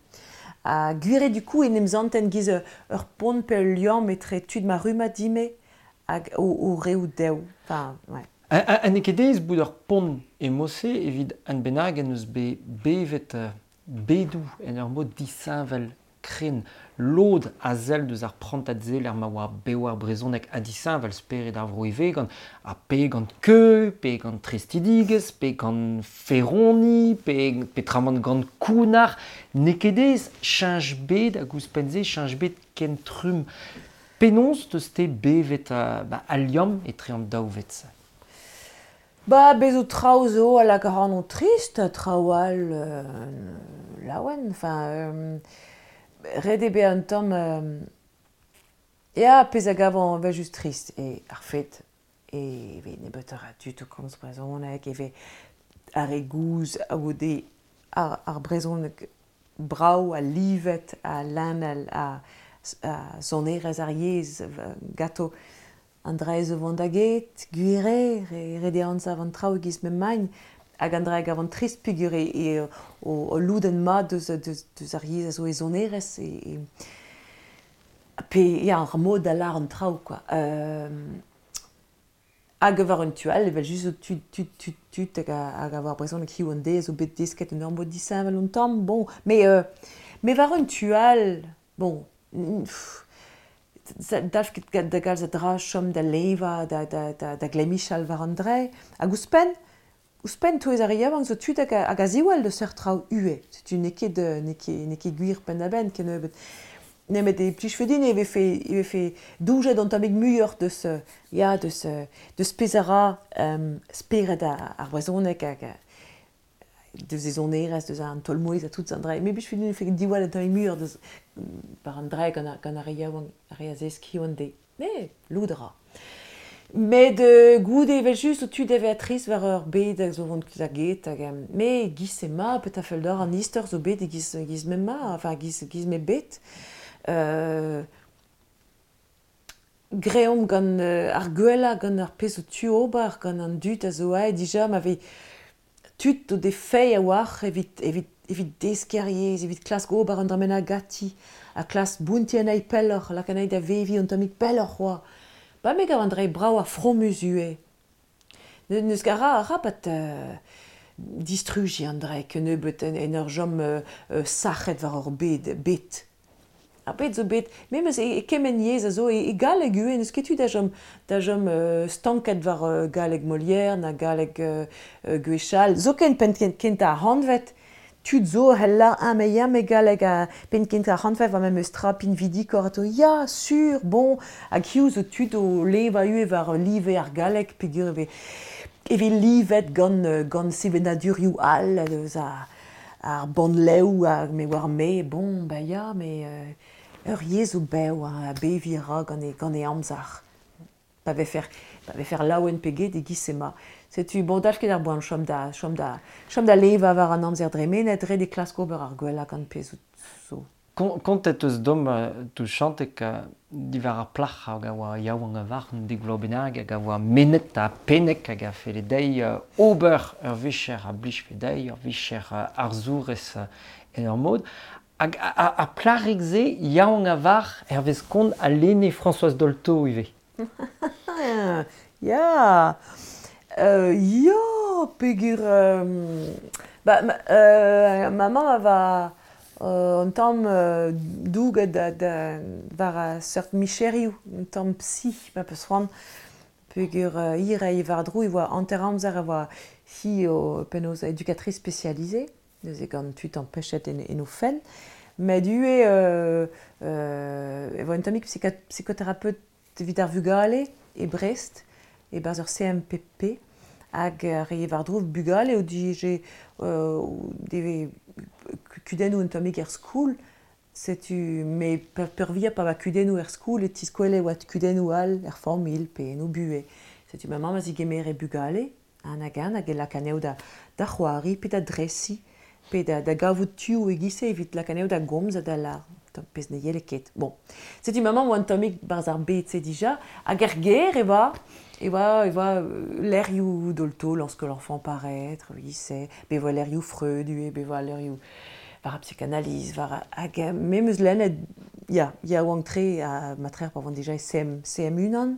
Ha gwir eo du coup en em santen giz ur pont pe ul liamm etre tud ma rummad dime hag o, o reoù dev. Enfin, ouais. Ha n'eo ket aes bout ur pont e mod-se evit un bennak en deus bet bevet bedoù en ur mod disheñvel kren lod a sell deus ar prantad-se lec'h ma oa bev ar brezhoneg ha disheñvel spered ar vro ivez gant ha pe gant keuz, pe gant tristidigezh, pe gant feroni, pe petramant gant kounnar. N'eo ket aes cheñch bed hag ouzhpenn-se cheñch bed ken trumm. Penaos teus-te bevet uh, ba, al liamm etre an daou ved-se? Ba, bez zo traoù zo a lak ac'hanon trist, traoù all euh, laouen, enfin, euh, ret eo bezañ un tamm euh, ya, pezh a gavan evel-just trist eo ar fet e vez nebeutoc'h a dud o komz brezhoneg, e vez ar re gozh a goude ar, ar brezhoneg brav ha livet ha lennel ha, ha sonerezh ar yezh ganto an dra zo vont da get, gwir eo, ret eo anzav an traoù e-giz m'emaint, hag an dra a gavan trist peogwir eo o, o lodenn mat deus, deus, deus ar yezh a zo e sonerezh e, e, pe ya, ar mod da lâr an traoù, quoi. Euh, hag war un tu all, evel-just zo tud, tud, tud, tud hag a, hag a oar brezhoneg hiziv an deiz zo bet desket un ur mod disheñvel un tamm, bon, mais, euh, mais war un tu all, bon, pff, dalv ket da galz a dra chom da levañ, da, da, da, da glemmichal war an dre. Hag ouzhpenn, ouzhpenn touez ar re yaouank zo tud hag a, hag a ziwall deus seurt traoù ivez. Setu n'eo ket, n'eo ket, n'eo ket gwir penn-da-benn kennebeut. Nemet e plijfe din e vefe, e vefe doujet an tammig muioc'h deus, ya, deus, deus pezh a ra um, spered ar, ar brezhoneg hag deus e zonerez, deus an tolmouez a tout an dre. Me bich fin fe diwall an tamm mur deus par an dre gant gant ar re yaouank, ar re a zeski an de. Ne, loudra. Met euh, goude evel just o tu deve atriz war ur bed hag zo vont da get hag me giz e ma pet a fell d'or an istor zo bet e giz, giz me ma, enfin giz, giz me bet. Euh, greomp gant euh, ar gwella gant ar pezh o tu ober gant an dud a zo aet dija ma vez tud o de fei a war evit, evit, evit deskiñ ar yezh, evit klask ober an dra gati, a klas bounti an ai pelloc'h, lak an ai da vevi an tammig pelloc'h oa. Ba me gav an dre brav ar frommus ue. Neus ket ra arabat euh, distruji an dre kennebeut en, en ur jom euh, euh, sac'het war ur bed, bet. Ar bet zo bet, memes e, e kement yezh a zo e, e galleg ue, neus ket tu da jom, da jom euh, stanket war euh, galleg Molière, na galleg euh, euh, Gwechall, zoken pen kent ar hanvet, tud zo hella un me ya me galleg a pen kent ar hanvet war memes tra pinvidikor ato ya, sur, bon, hag hiu zo tud o leva ue war live ar galleg, peogwir e vez e vez livet gant, gant sevenadurioù all, eus a, ar bannlev hag me war me, bon, ba ya, me euh, ur yezh zo bev a bevi ra gant e, gant e amzer. Pa vefer, pa vefer laouen pe get e giz ema. Setu, bon, dalch ket ar boan chom da, chom da, chom da leva war an amzer dremenet, ret e klask ober ar gwella gant pezh zo. Kontet eus dom tu chantek diwar ar plac'h hag a oa yaouank a war an dek vloaz bennak hag a oa menet ha pennek hag a felle dezhi ober ur vicher a blijfe dezhi, ur vicher arzourez en ur mod. Hag ar plac'hig-se yaouank a war hervez kont a lenne Françoise Dolto ivez. Ya, euh, ya, peogwir euh, ba, ma, euh, ma mamm a va euh, un tamm euh, douget da, da, war a seurt micherioù, un tamm psy, ma peus c'hoant, peogwir euh, hir a war-dro e oa hanter amzer a oa hi o penaos éducatrice spécialisée, neuze gant tud empechet en, en o fenn, met ivez euh, euh, e oa un tammig psychothérapeute evit ar vugale e Brest, e barzh ur C M P P, hag re war-dro bugale o dije euh, deve kudennoù un tammig er skoul, setu me peurvuiañ pa oa kudennoù er skoul e tiskwele oa kudennoù all er familh pe en o buhez. Setu ma mamm a zigemere bugale, an hag an hag e lak anezho da, da c'hoari pe da dresiñ, pe da, da gavout tuoù e-giz-se evit lak anezho da gomz ha da lar pezh ne yele ket. Bon. Setu ma mamm oa un tammig barzh ar bed-se dija, hag er gêr e oa, e oa, e oa lerioù Dolto lorsque l'enfant paraître, oui, be oa lerioù Freud, ue, be oa lerioù war a psychanalyse, war hag memes lennet, ya, ya oan tre a matrer pa oan dija e C M, C M unan.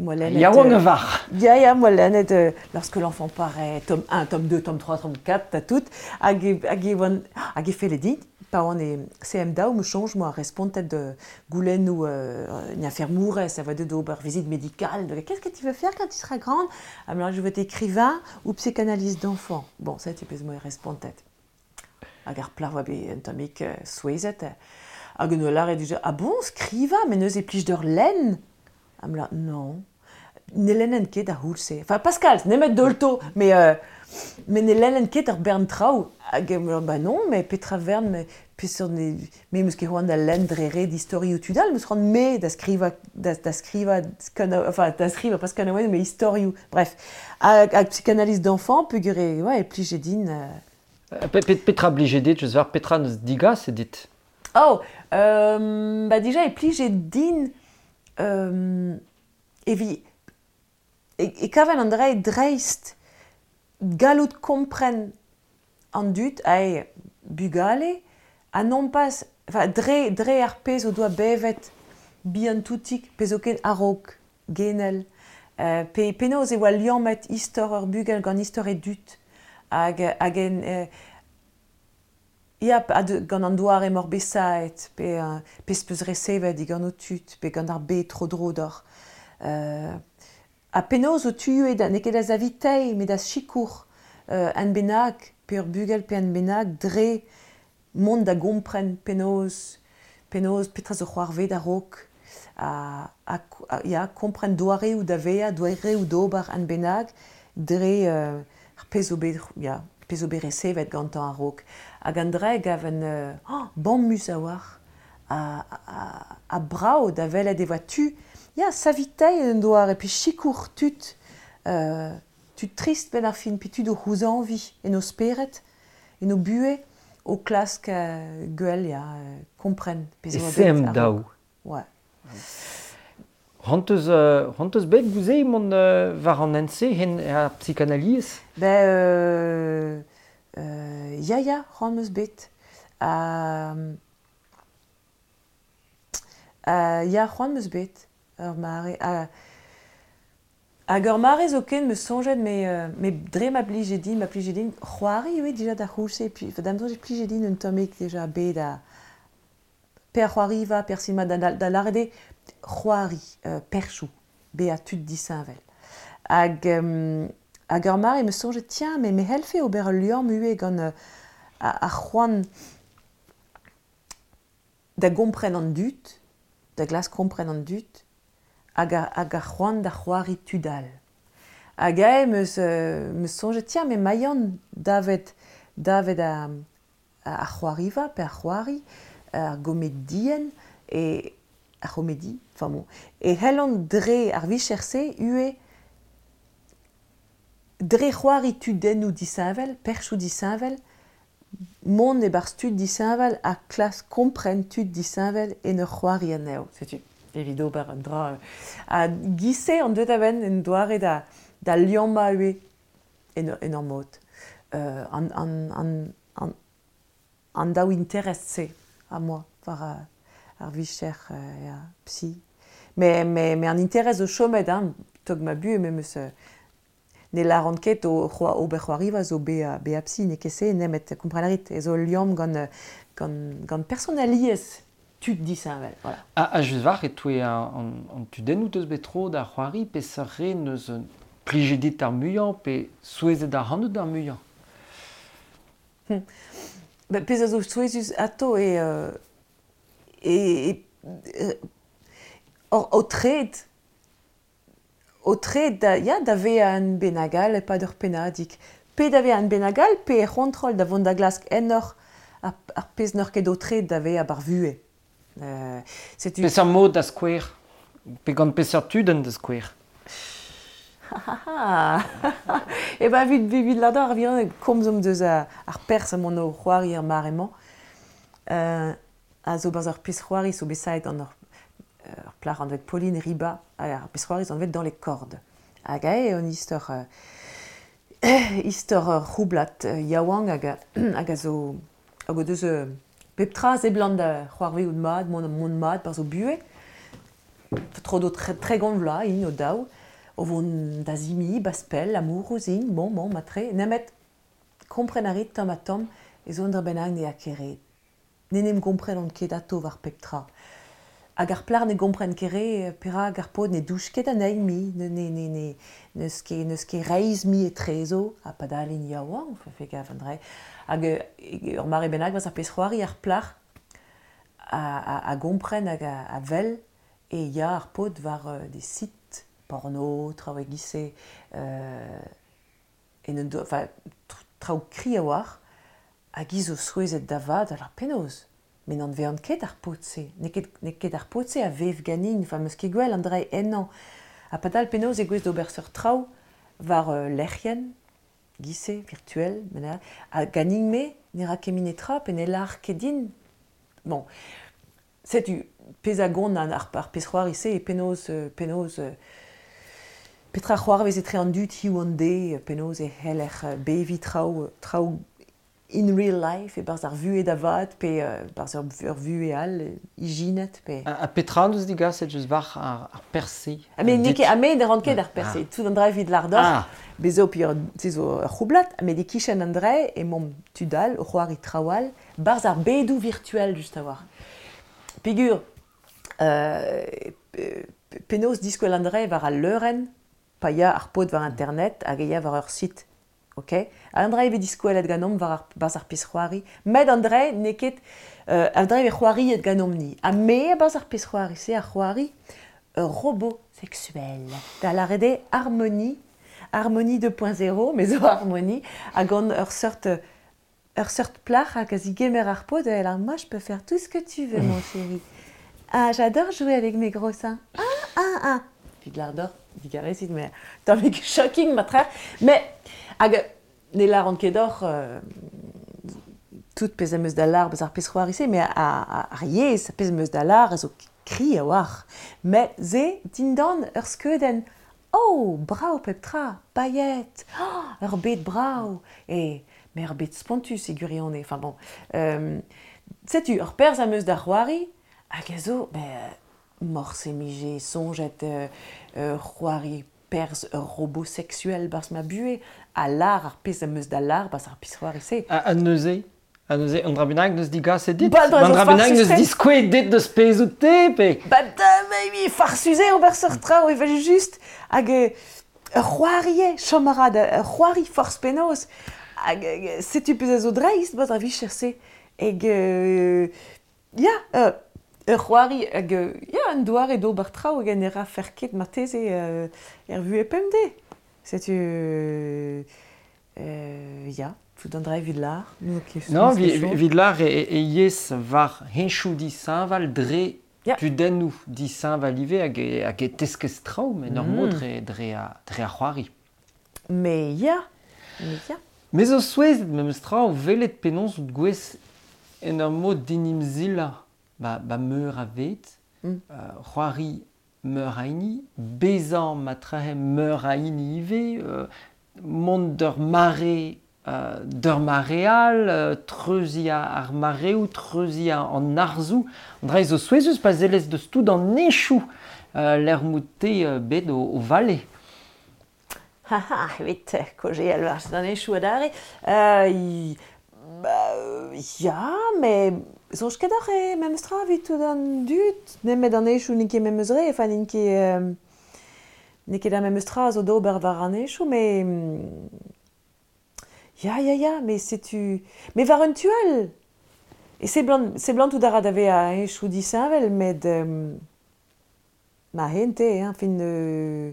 Moi, lennet, Yaouank euh, a var. Ya, ya, moi lennet, euh, lorsque l'enfant paraît, tome un, tome deux, tome trois, tome quatre, t'as tout, hag e, hag e oan, hag e felle din, pa oan e C M daou, me change, moi, respontet de goulennoù, euh, une infirmourez, ça va de d'ober, visite médicale, de, qu'est-ce que tu veux faire quand tu seras grande? Ah, mais alors, je veux être écrivain ou psychanalyste d'enfant. Bon, ça, tu peux moi respontet. Hag ar plac'h oa bet un tammig, euh, souezhet. Hag un olar e dija, ah bon, skriva, mais neuze e plij d'ur lenn? Ah, me la, non. Ne lennen ket ar c'houlz-se. Enfin, Pascal, nemet Dolto, mais, euh, mais ne lennen ket ar bern traoù. Hag, euh, bah non, mais petra vern, mais peseurt ne, me meus ket c'hoant da lenn dre ret istorioù tud all, meus c'hoant me da skriva, da, da skriva, kana, enfin, da skriva, pas kanaouennoù, mais istorioù. Bref. Hag, hag psychanalyse d'enfant, peogwir e, ouais, e plije din, euh, Pe, pe, petra blije dit, je veux dire, petra neus digas e dit? Oh, euh, bah déjà, e plije din, euh, evi, e, e kaven an dre dreist gallout kompren an dud ae bugale, ha non pas, enfin, dre, dre ar pezh o doa bevet bihan toutik, pezh o ken a-raok, genel, euh, pe, penaos e oa liammet istor ur bugel gant istor e dud, hag, hag en, euh, ya, ha de, gant an doare mor besaet, pe, euh, pezh peus resevet digant o tud, pe gant ar bed tro-dro d'or. Euh, ha penaos o tuet da, n'eo ket da zavitei, met da sikour, euh, an bennak, pe ur bugel pe an bennak, dre mont da gompren penaos, penaos petra zo c'hoarvet a-raok, ha, ha, ha, ya, kompren doareoù da vezañ, doareoù d'ober an bennak, dre, euh, ar pezh zo bet, ya, pezh zo bet resevet gantañ a-raok. Hag an dra gav un euh, oh, bammus a-walc'h ha, ha, ha brav da welet e oa tu. Ya, saviteiñ un doare, pe sikour tud, euh, tud trist benn ar fin, pe tud o c'houzañviñ en o spered, en o buhez, o klask euh, gwell, ya, euh, kompren pezh E oa bet sem a-raok. daou. Ouais. C'hoant eus, euh, c'hoant eus bet gouze mont euh, war an hent-se hen ar psychanalyse? Ben, euh, euh, ya, ya, c'hoant 'm eus bet. Ha, euh, ya, c'hoant 'm eus bet, ur mare. Ha, hag ur mare zoken 'm eus soñjet, me, euh, me dre ma blije din, ma plije din, c'hoari ivez dija d'ar c'houlz-se, puis, enfin, da'm soñj e plije din un tammig dija bet da pe ar c'hoariva, pe ar sinema, da, da, da lâret eo c'hoari, euh, perchoù, bezañ tud disheñvel. Hag, euh, hag ur mare 'm eus soñjet, tiens, mais me c'hellfe ober ul liamm ivez gant euh, ar c'hoant da gompren an dud, da glask kompren an dud, hag ar, hag ar c'hoant da c'hoari tud all. Hag ae 'm eus, euh, 'm eus soñjet, tiens, mais maian davet, davet a, a, ar c'hoariva, pe ar c'hoari, ar gomedienn, e ar c'homedi, enfin bon, e c'hellont dre ar vicher-se ivez dre c'hoari tudennoù disheñvel, perchoù disheñvel, mont e-barzh tud disheñvel ha klask kompren tud disheñvel en ur c'hoari anezho. Setu, evit ober un dra. Ha giz-se an deuet a-benn en doare da, da liammañ ivez en, en ur mod. Euh, an, an, an, an, an daou interest-se a moa war ar, ar vicher euh, ya, psy. Mais, mais, mais an interest zo chomet, hein, tog ma buhez, me 'm eus euh, ne lâran ket o c'hoa, ober c'hoariva zo bezañ bezañ psy, n'eo ket se, nemet kompren a rit, e zo liamm gant, gant, gant personaliezh tud disheñvel. Voilà. Ha, ha just war e-touez an, an, an tudennoù teus bet tro da c'hoari, peseurt re neus plijet dit ar muiañ, pe souezhet ac'hanout ar muiañ? Hmm. Ben, pezh a zo souezhus atao e, euh, e, e, euh, o, o tred, o tred da, ya, da vezañ un bennak all e-pad ur pennadig. Pe da vezañ un bennak all, pe er c'hontrol da vont da glask ennoc'h ar, ar pezh n'oc'h ket o tred da vezañ bar vuhez. Euh, setu... Peseurt mod da skouer? Pe gant peseurt tudenn da skouer? E ben, evit, evit ladar ar vihan, komzomp deus ar, ar perzh emaon o c'hoari er mare-mañ. Euh, a zo barzh ur pezh c'hoari zo bet savet gant ur, ur plac'h anvet Pauline Riba, hag ar pezh c'hoari zo anvet Dans les cordes. Hag ae eo un istor, euh, istor ur c'houblad euh, yaouank hag a, hag a zo hag o deus euh, pep tra seblant da c'hoarvezout mat, mont, mont mat barzh o buhez. Tro do tre, tregont vloaz int o daou, o vont da zimi, baspell, amourouz int, bon, bon, matre, nemet kompren a rit tamm ha tamm e zo un dra bennak ne a ket re. Ne n'em gomprenont ket atao war pep tra. Hag ar plac'h ne gompren ket re, perak ar paotr ne douch ket anezhi mui, ne, ne, ne, ne, n'eus ket, n'eus ket reizh mui etrezo, ha padal int yaouank, fe gav an dra. Hag ur mare bennak war ar pezh c'hoari ar plac'h a, a, a gompren hag a, a wel e ya ar paotr war euh, des sites porno, traoù e-giz-se, euh, en un do, enfin, traoù kri a-walc'h, hag i zo souezhet da vat, alors penaos? Mais n'an vean ket ar paotr-se, n'eo ket, n'eo ket ar paotr-se a vev ganin, enfin, 'm eus ket gwell an dra ennañ. Ha padal penaos e gouez d'ober seurt traoù war euh, lec'hienn, giz-se, virtuel, mena, ha ganin-me ne ra ket min netra, pe ne lâr ket din. Bon, setu pezh a gont an ar, ar pezh c'hoari-se e penaos, euh, penaos euh, petra c'hoarvez etre an dud hiziv an deiz, penaos e c'heller beviñ traoù, traoù in real life, e-barzh ar vuhez da vat, pe euh, barzh ur, ur vuhez all, ijinet, pe... Ha, ha petra an deus digaset just war ar, ar perzh-se? Ha me n'eo ket, ha me ne ran ket ar perzh-se, Ah. tout an dra evit lâr deoc'h, Ah. bez zo pi ur, se zo ur c'houblad, ha met e-kichen an dra emaomp tud all, o c'hoari traoù all, barzh ar bedoù virtuel just a-walc'h. Peogwir, euh, penaos diskwel an dra war al leurenn, pa ya ar paotr war internet hag e ya war ur site. Ok? An dra e vez diskwelet ganeomp war ar, barzh ar pezh c'hoari. Met an dra n'eo ket, euh, an dra e vez c'hoariet ganeomp-ni. Ha me barzh ar pezh c'hoari, se ar c'hoari ur robot sexuel. Da lâret eo Harmonie, Harmonie deux point zéro, mais zo Harmonie, hag gant ur seurt, ur seurt plac'h hag a zigemer ar pod, elle a, moi je peux faire tout ce que tu veux, mon chéri. Ah, j'adore jouer avec mes gros seins. Ah, ah, ah. Puis de l'ardeur, digarezit, mais tammig shocking, ma tra. Mais, hag, ne lar an ket d'or, euh, tout pezh am eus da lar, bez ar pezh c'hoari-se, mais a, a, ar yezh, pezh am eus da lar, a zo kri a war. Mais ze, dindan, ur skeudenn, oh, brao pep tra, paillet, oh, ur bed brao, e, mais ur bed spontus e gwirionez, enfin bon. Euh, setu, ur perzh am eus da c'hoari, hag a zo, ben, morse mije, soñjet, euh, euh, c'hoari perzh ur robot sexuel barzh ma buhe, a lar ar pezh am eus da lar barzh ar pezh c'hoari-se. A, a neuze, a neuze, an dra bennak neus digaset dit? Ba, dra An dra zo bennak neus farsus-tre. diskouezet dit deus pezh out te, pe? Ba, da, mais farsus eo ober seurt traoù, evel just. Hag, euh, ur c'hoari eo, chom a ra da, ur c'hoari forzh penaos. Hag, euh, setu pezh a zo dreist, barzh ar vicher-se. Hag, euh, ya, euh, ur c'hoari, hag, euh, ya, un doare d'ober traoù hag en e ra fer ket marteze, euh, er vuhez pemdez. Setu, euh, euh, ya, tout an dra evit l'ar. Nous, qui Non, sommes vi, chaud. evit l'ar e, e yez war henchoù dishañval dre Ya. tudennoù dishañval ivez hag e, hag e teskez traoù, met ur Mm. mod dre, dre a, dre ar c'hoari. Mais ya, mais ya. Me zo souezhet memes tra o welet penaos out gwez en ur mod dinimzila ba, ba meur a vet, Mm. euh, c'hoari meur a hini, bezañ ma trahe meur a hini ivez, euh, mont d'ur mare, euh, d'ur mareal, euh, treuziañ ar mareoù, treuziañ an arzoù. An dra zo souezhus pa zellez deus tout an echoù, euh, l'er mout-te, euh, bet o, o vale. Ha ha, evit, kaozeal war an echoù adarre. Euh, i, ba, ya, mais soñj ket oc'h e memes tra evit tout an dud, nemet an echoù n'int ket memes re, enfin n'int ket, euh, n'eo ket ar memes tra zo d'ober war an echoù, mais, mm, ya, ya, ya, mais setu... Mais war un tu all. E seblant, seblant tout a ra da vezañ a echoù disheñvel, met, euh, ma hente, hein, fin, euh,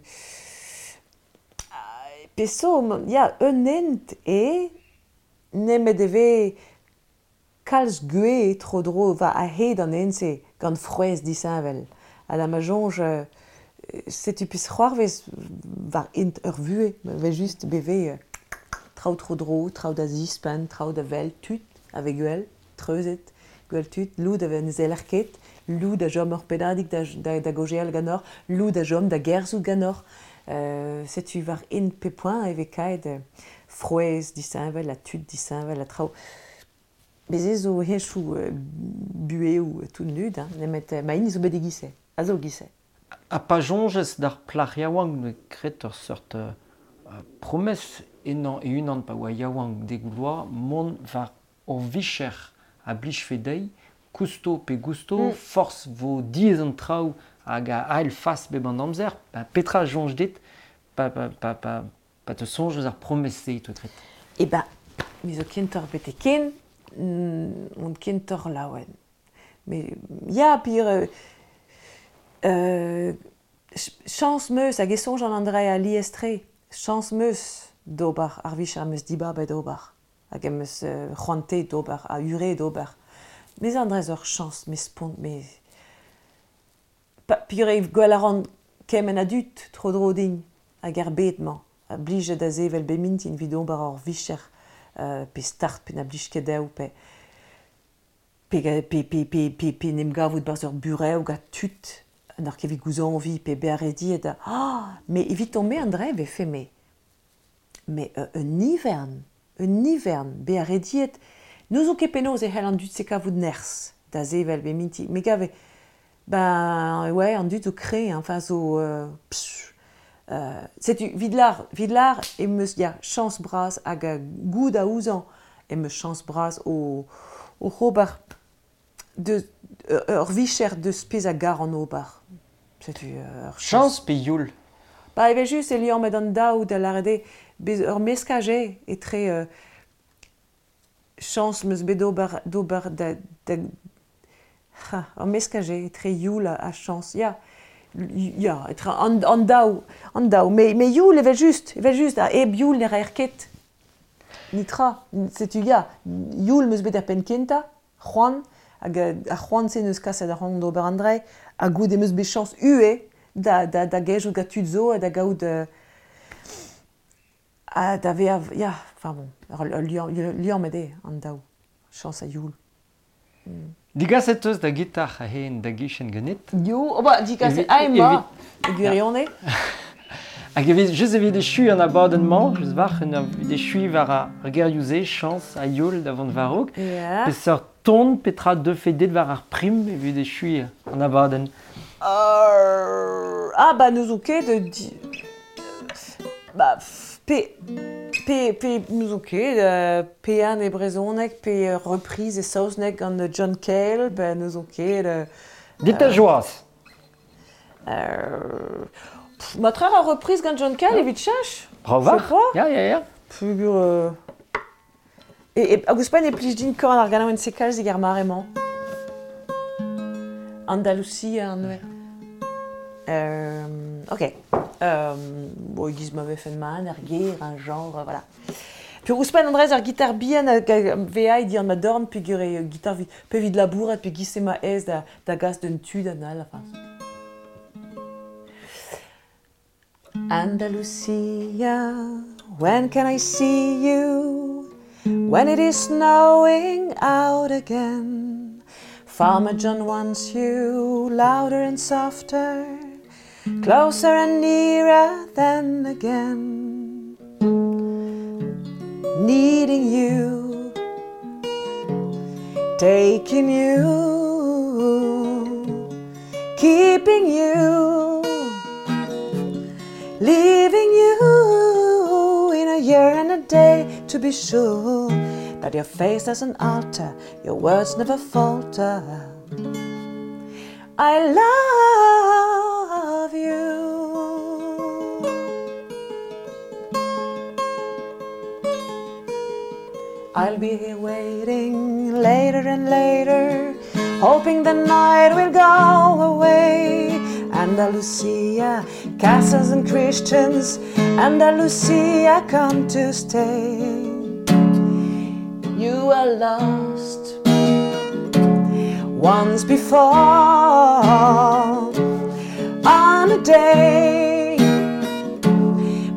peso, ya, un hent e, nemet e ve kalz gwez tro-dro va a-hed an hent-se gant frouezh disheñvel. Ha da ma soñj, euh, setu pezh c'hoarvez war int ur vuhez, ve just beve, euh, traoù tro-dro, traoù da zispenn, traoù da wel tud, a ve gwell, treuzet, gwell tud, loud a ve ne zeller ket, loud a chom ur pennadig da, da, da gaozeal ganeoc'h, loud a chom da gerzhout ganeoc'h. Euh, setu war int pe poent e ve kaet, euh, frouezh disheñvel, ha tud disheñvel, ha traoù. Bez ez zo heñchoù, euh, buheoù tout nud, hein, nemet, euh, ma hini zo bet e-giz-se, a zo e-giz-se. Ha pa soñjez d'ar plac'h yaouank ne kret ur seurt, euh, promesse ennañ e-unan pa oa yaouank degouloa mont war ur vicher a blijfe dezhi, kousto pe gousto, Mm. forzh vo diaes an traoù hag a ael fas bep an amzer, ba petra soñj dit, pa, pa, pa, pa, pa te soñj eus ar promesse-se, to tret. E ba, me zo kentoc'h bete ken, mm, on kentoc'h laouen. Mais ya, pir, euh, euh, ch-, chañs meus hag e soñj an Andrea a liestre, chañs meus d'ober ar vicher am eus dibabet d'ober, hag em eus, euh, c'hoante d'ober, a ure d'ober. Mes an dra ur chañs, mes spont, mes... Pa, pir e gwell a ran kement a dud tro-dro din hag ar bed-mañ, a blije da sevel be mintin evit ober ur vicher, euh, pe start, pe na blij ket dezho, pe, pe, pe, pe, pe, pe, pe n'em gavout barzh ur burev gant tud, an ar ket evit gouzañviñ, pe bezañ rediet da, ah, mais evit on me an dra e vefe, mais, mais, euh, un ivern, un ivern, bezañ rediet, n'ouzon ket penaos e c'hell an dud se kavout nerzh da sevel be mintin, me gave, ben, ouais, an dud zo kre, hein, enfin, zo, euh, pff, euh, setu, vid l'ar, vid l'ar, em eus, ya, chañs bras hag a goud a ouzañ, em eus chañs bras o, o ober de, euh, ur vicher deus pezh a gar an ober. Setu, euh, ur chañs. Chañs pe youl? Ba, evel just, e liamm met an daou da lâret eo, bez ur meskaj eo etre, euh, chañs 'm eus bet d'ober, d'ober da, da, ha, ur meskaj eo etre youl ha chañs, ya. Ya, etre an, an daou, an daou. Me, me youl evel just, evel just, ha hep youl ne raer ket. Nitra, setu ya, youl meus bet er penn kentañ, c'hoant, hag ar c'hoant-se neus kaset ar c'hoant d'ober an dre, ha goude meus bet chañs ue da, da, da gejout gant tud zo ha da gaout... Euh, ha da vezañ, ya, enfin bon, ur liamm, liamm eo an daou, chañs ha youl. Mm. Digaset eus da gitar a-hen da gichen ganit? Yo, oh ba, digaset a ema, e gwirionez. Hag evit, just evit echu an abadenn-mañ, just war, evit echu war ar gerioù-se, chañs ha youl da vont war-raok. Yeah. Peseurt ton, petra deufe det war ar prim evit echu an abadenn? Euh, ah ba, n'eus ket de... Di, ba, pe... Pe, pe n'eus ket, euh, pe an e brezhoneg, pe reprise e saozneg gant John Cale, ben n'eus ket... Euh, Dit a joaz. Euh, pff, ma tra a reprise gant John Cale evit chach. Bravo. Ya, ya, ya. Pugur... Euh... E, e, hag ouzhpenn e plij din korn ar ganaouenn se kalz eget ar mare-mañ. Andalusia an oe. Euh, ok. Euh, bon, e giz ma vefen man, ar ger, un genre, voilà. Puis ouzhpenn Andrez ar gitar bihan hag veai di an ma dorn peogwir eo gitar vi, pe evit labourat pe giz ema aes da, da gas d'un tu d'an all, enfin. Andalusia, when can I see you? When it is snowing out again. Farmer John wants you louder and softer, closer and nearer than again. Needing you, taking you, keeping you, leaving you in a year and a day to be sure that your face doesn't alter, your words never falter. I love you. I'll be here waiting later and later, hoping the night will go away. Andalusia, castles and Christians, Andalusia, come to stay. You were lost once before, on a day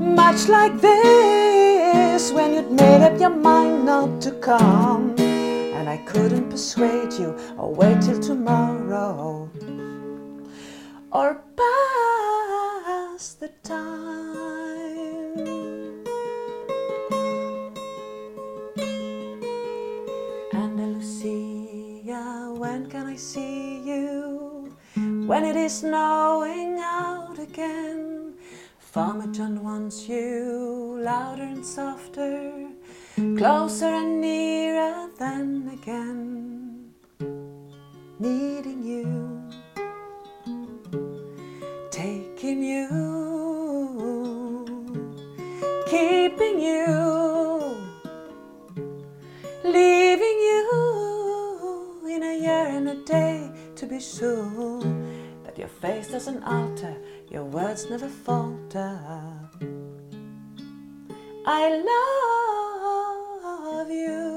much like this, when you'd made up your mind not to come, and I couldn't persuade you or wait till tomorrow or pass the time. Andalusia, when can I see you? When it is snowing out again. Farmer John wants you louder and softer, closer and nearer than again. Needing you, taking you, keeping you, leaving you in a year and a day to be sure that your face doesn't alter, your words never falter. I love you.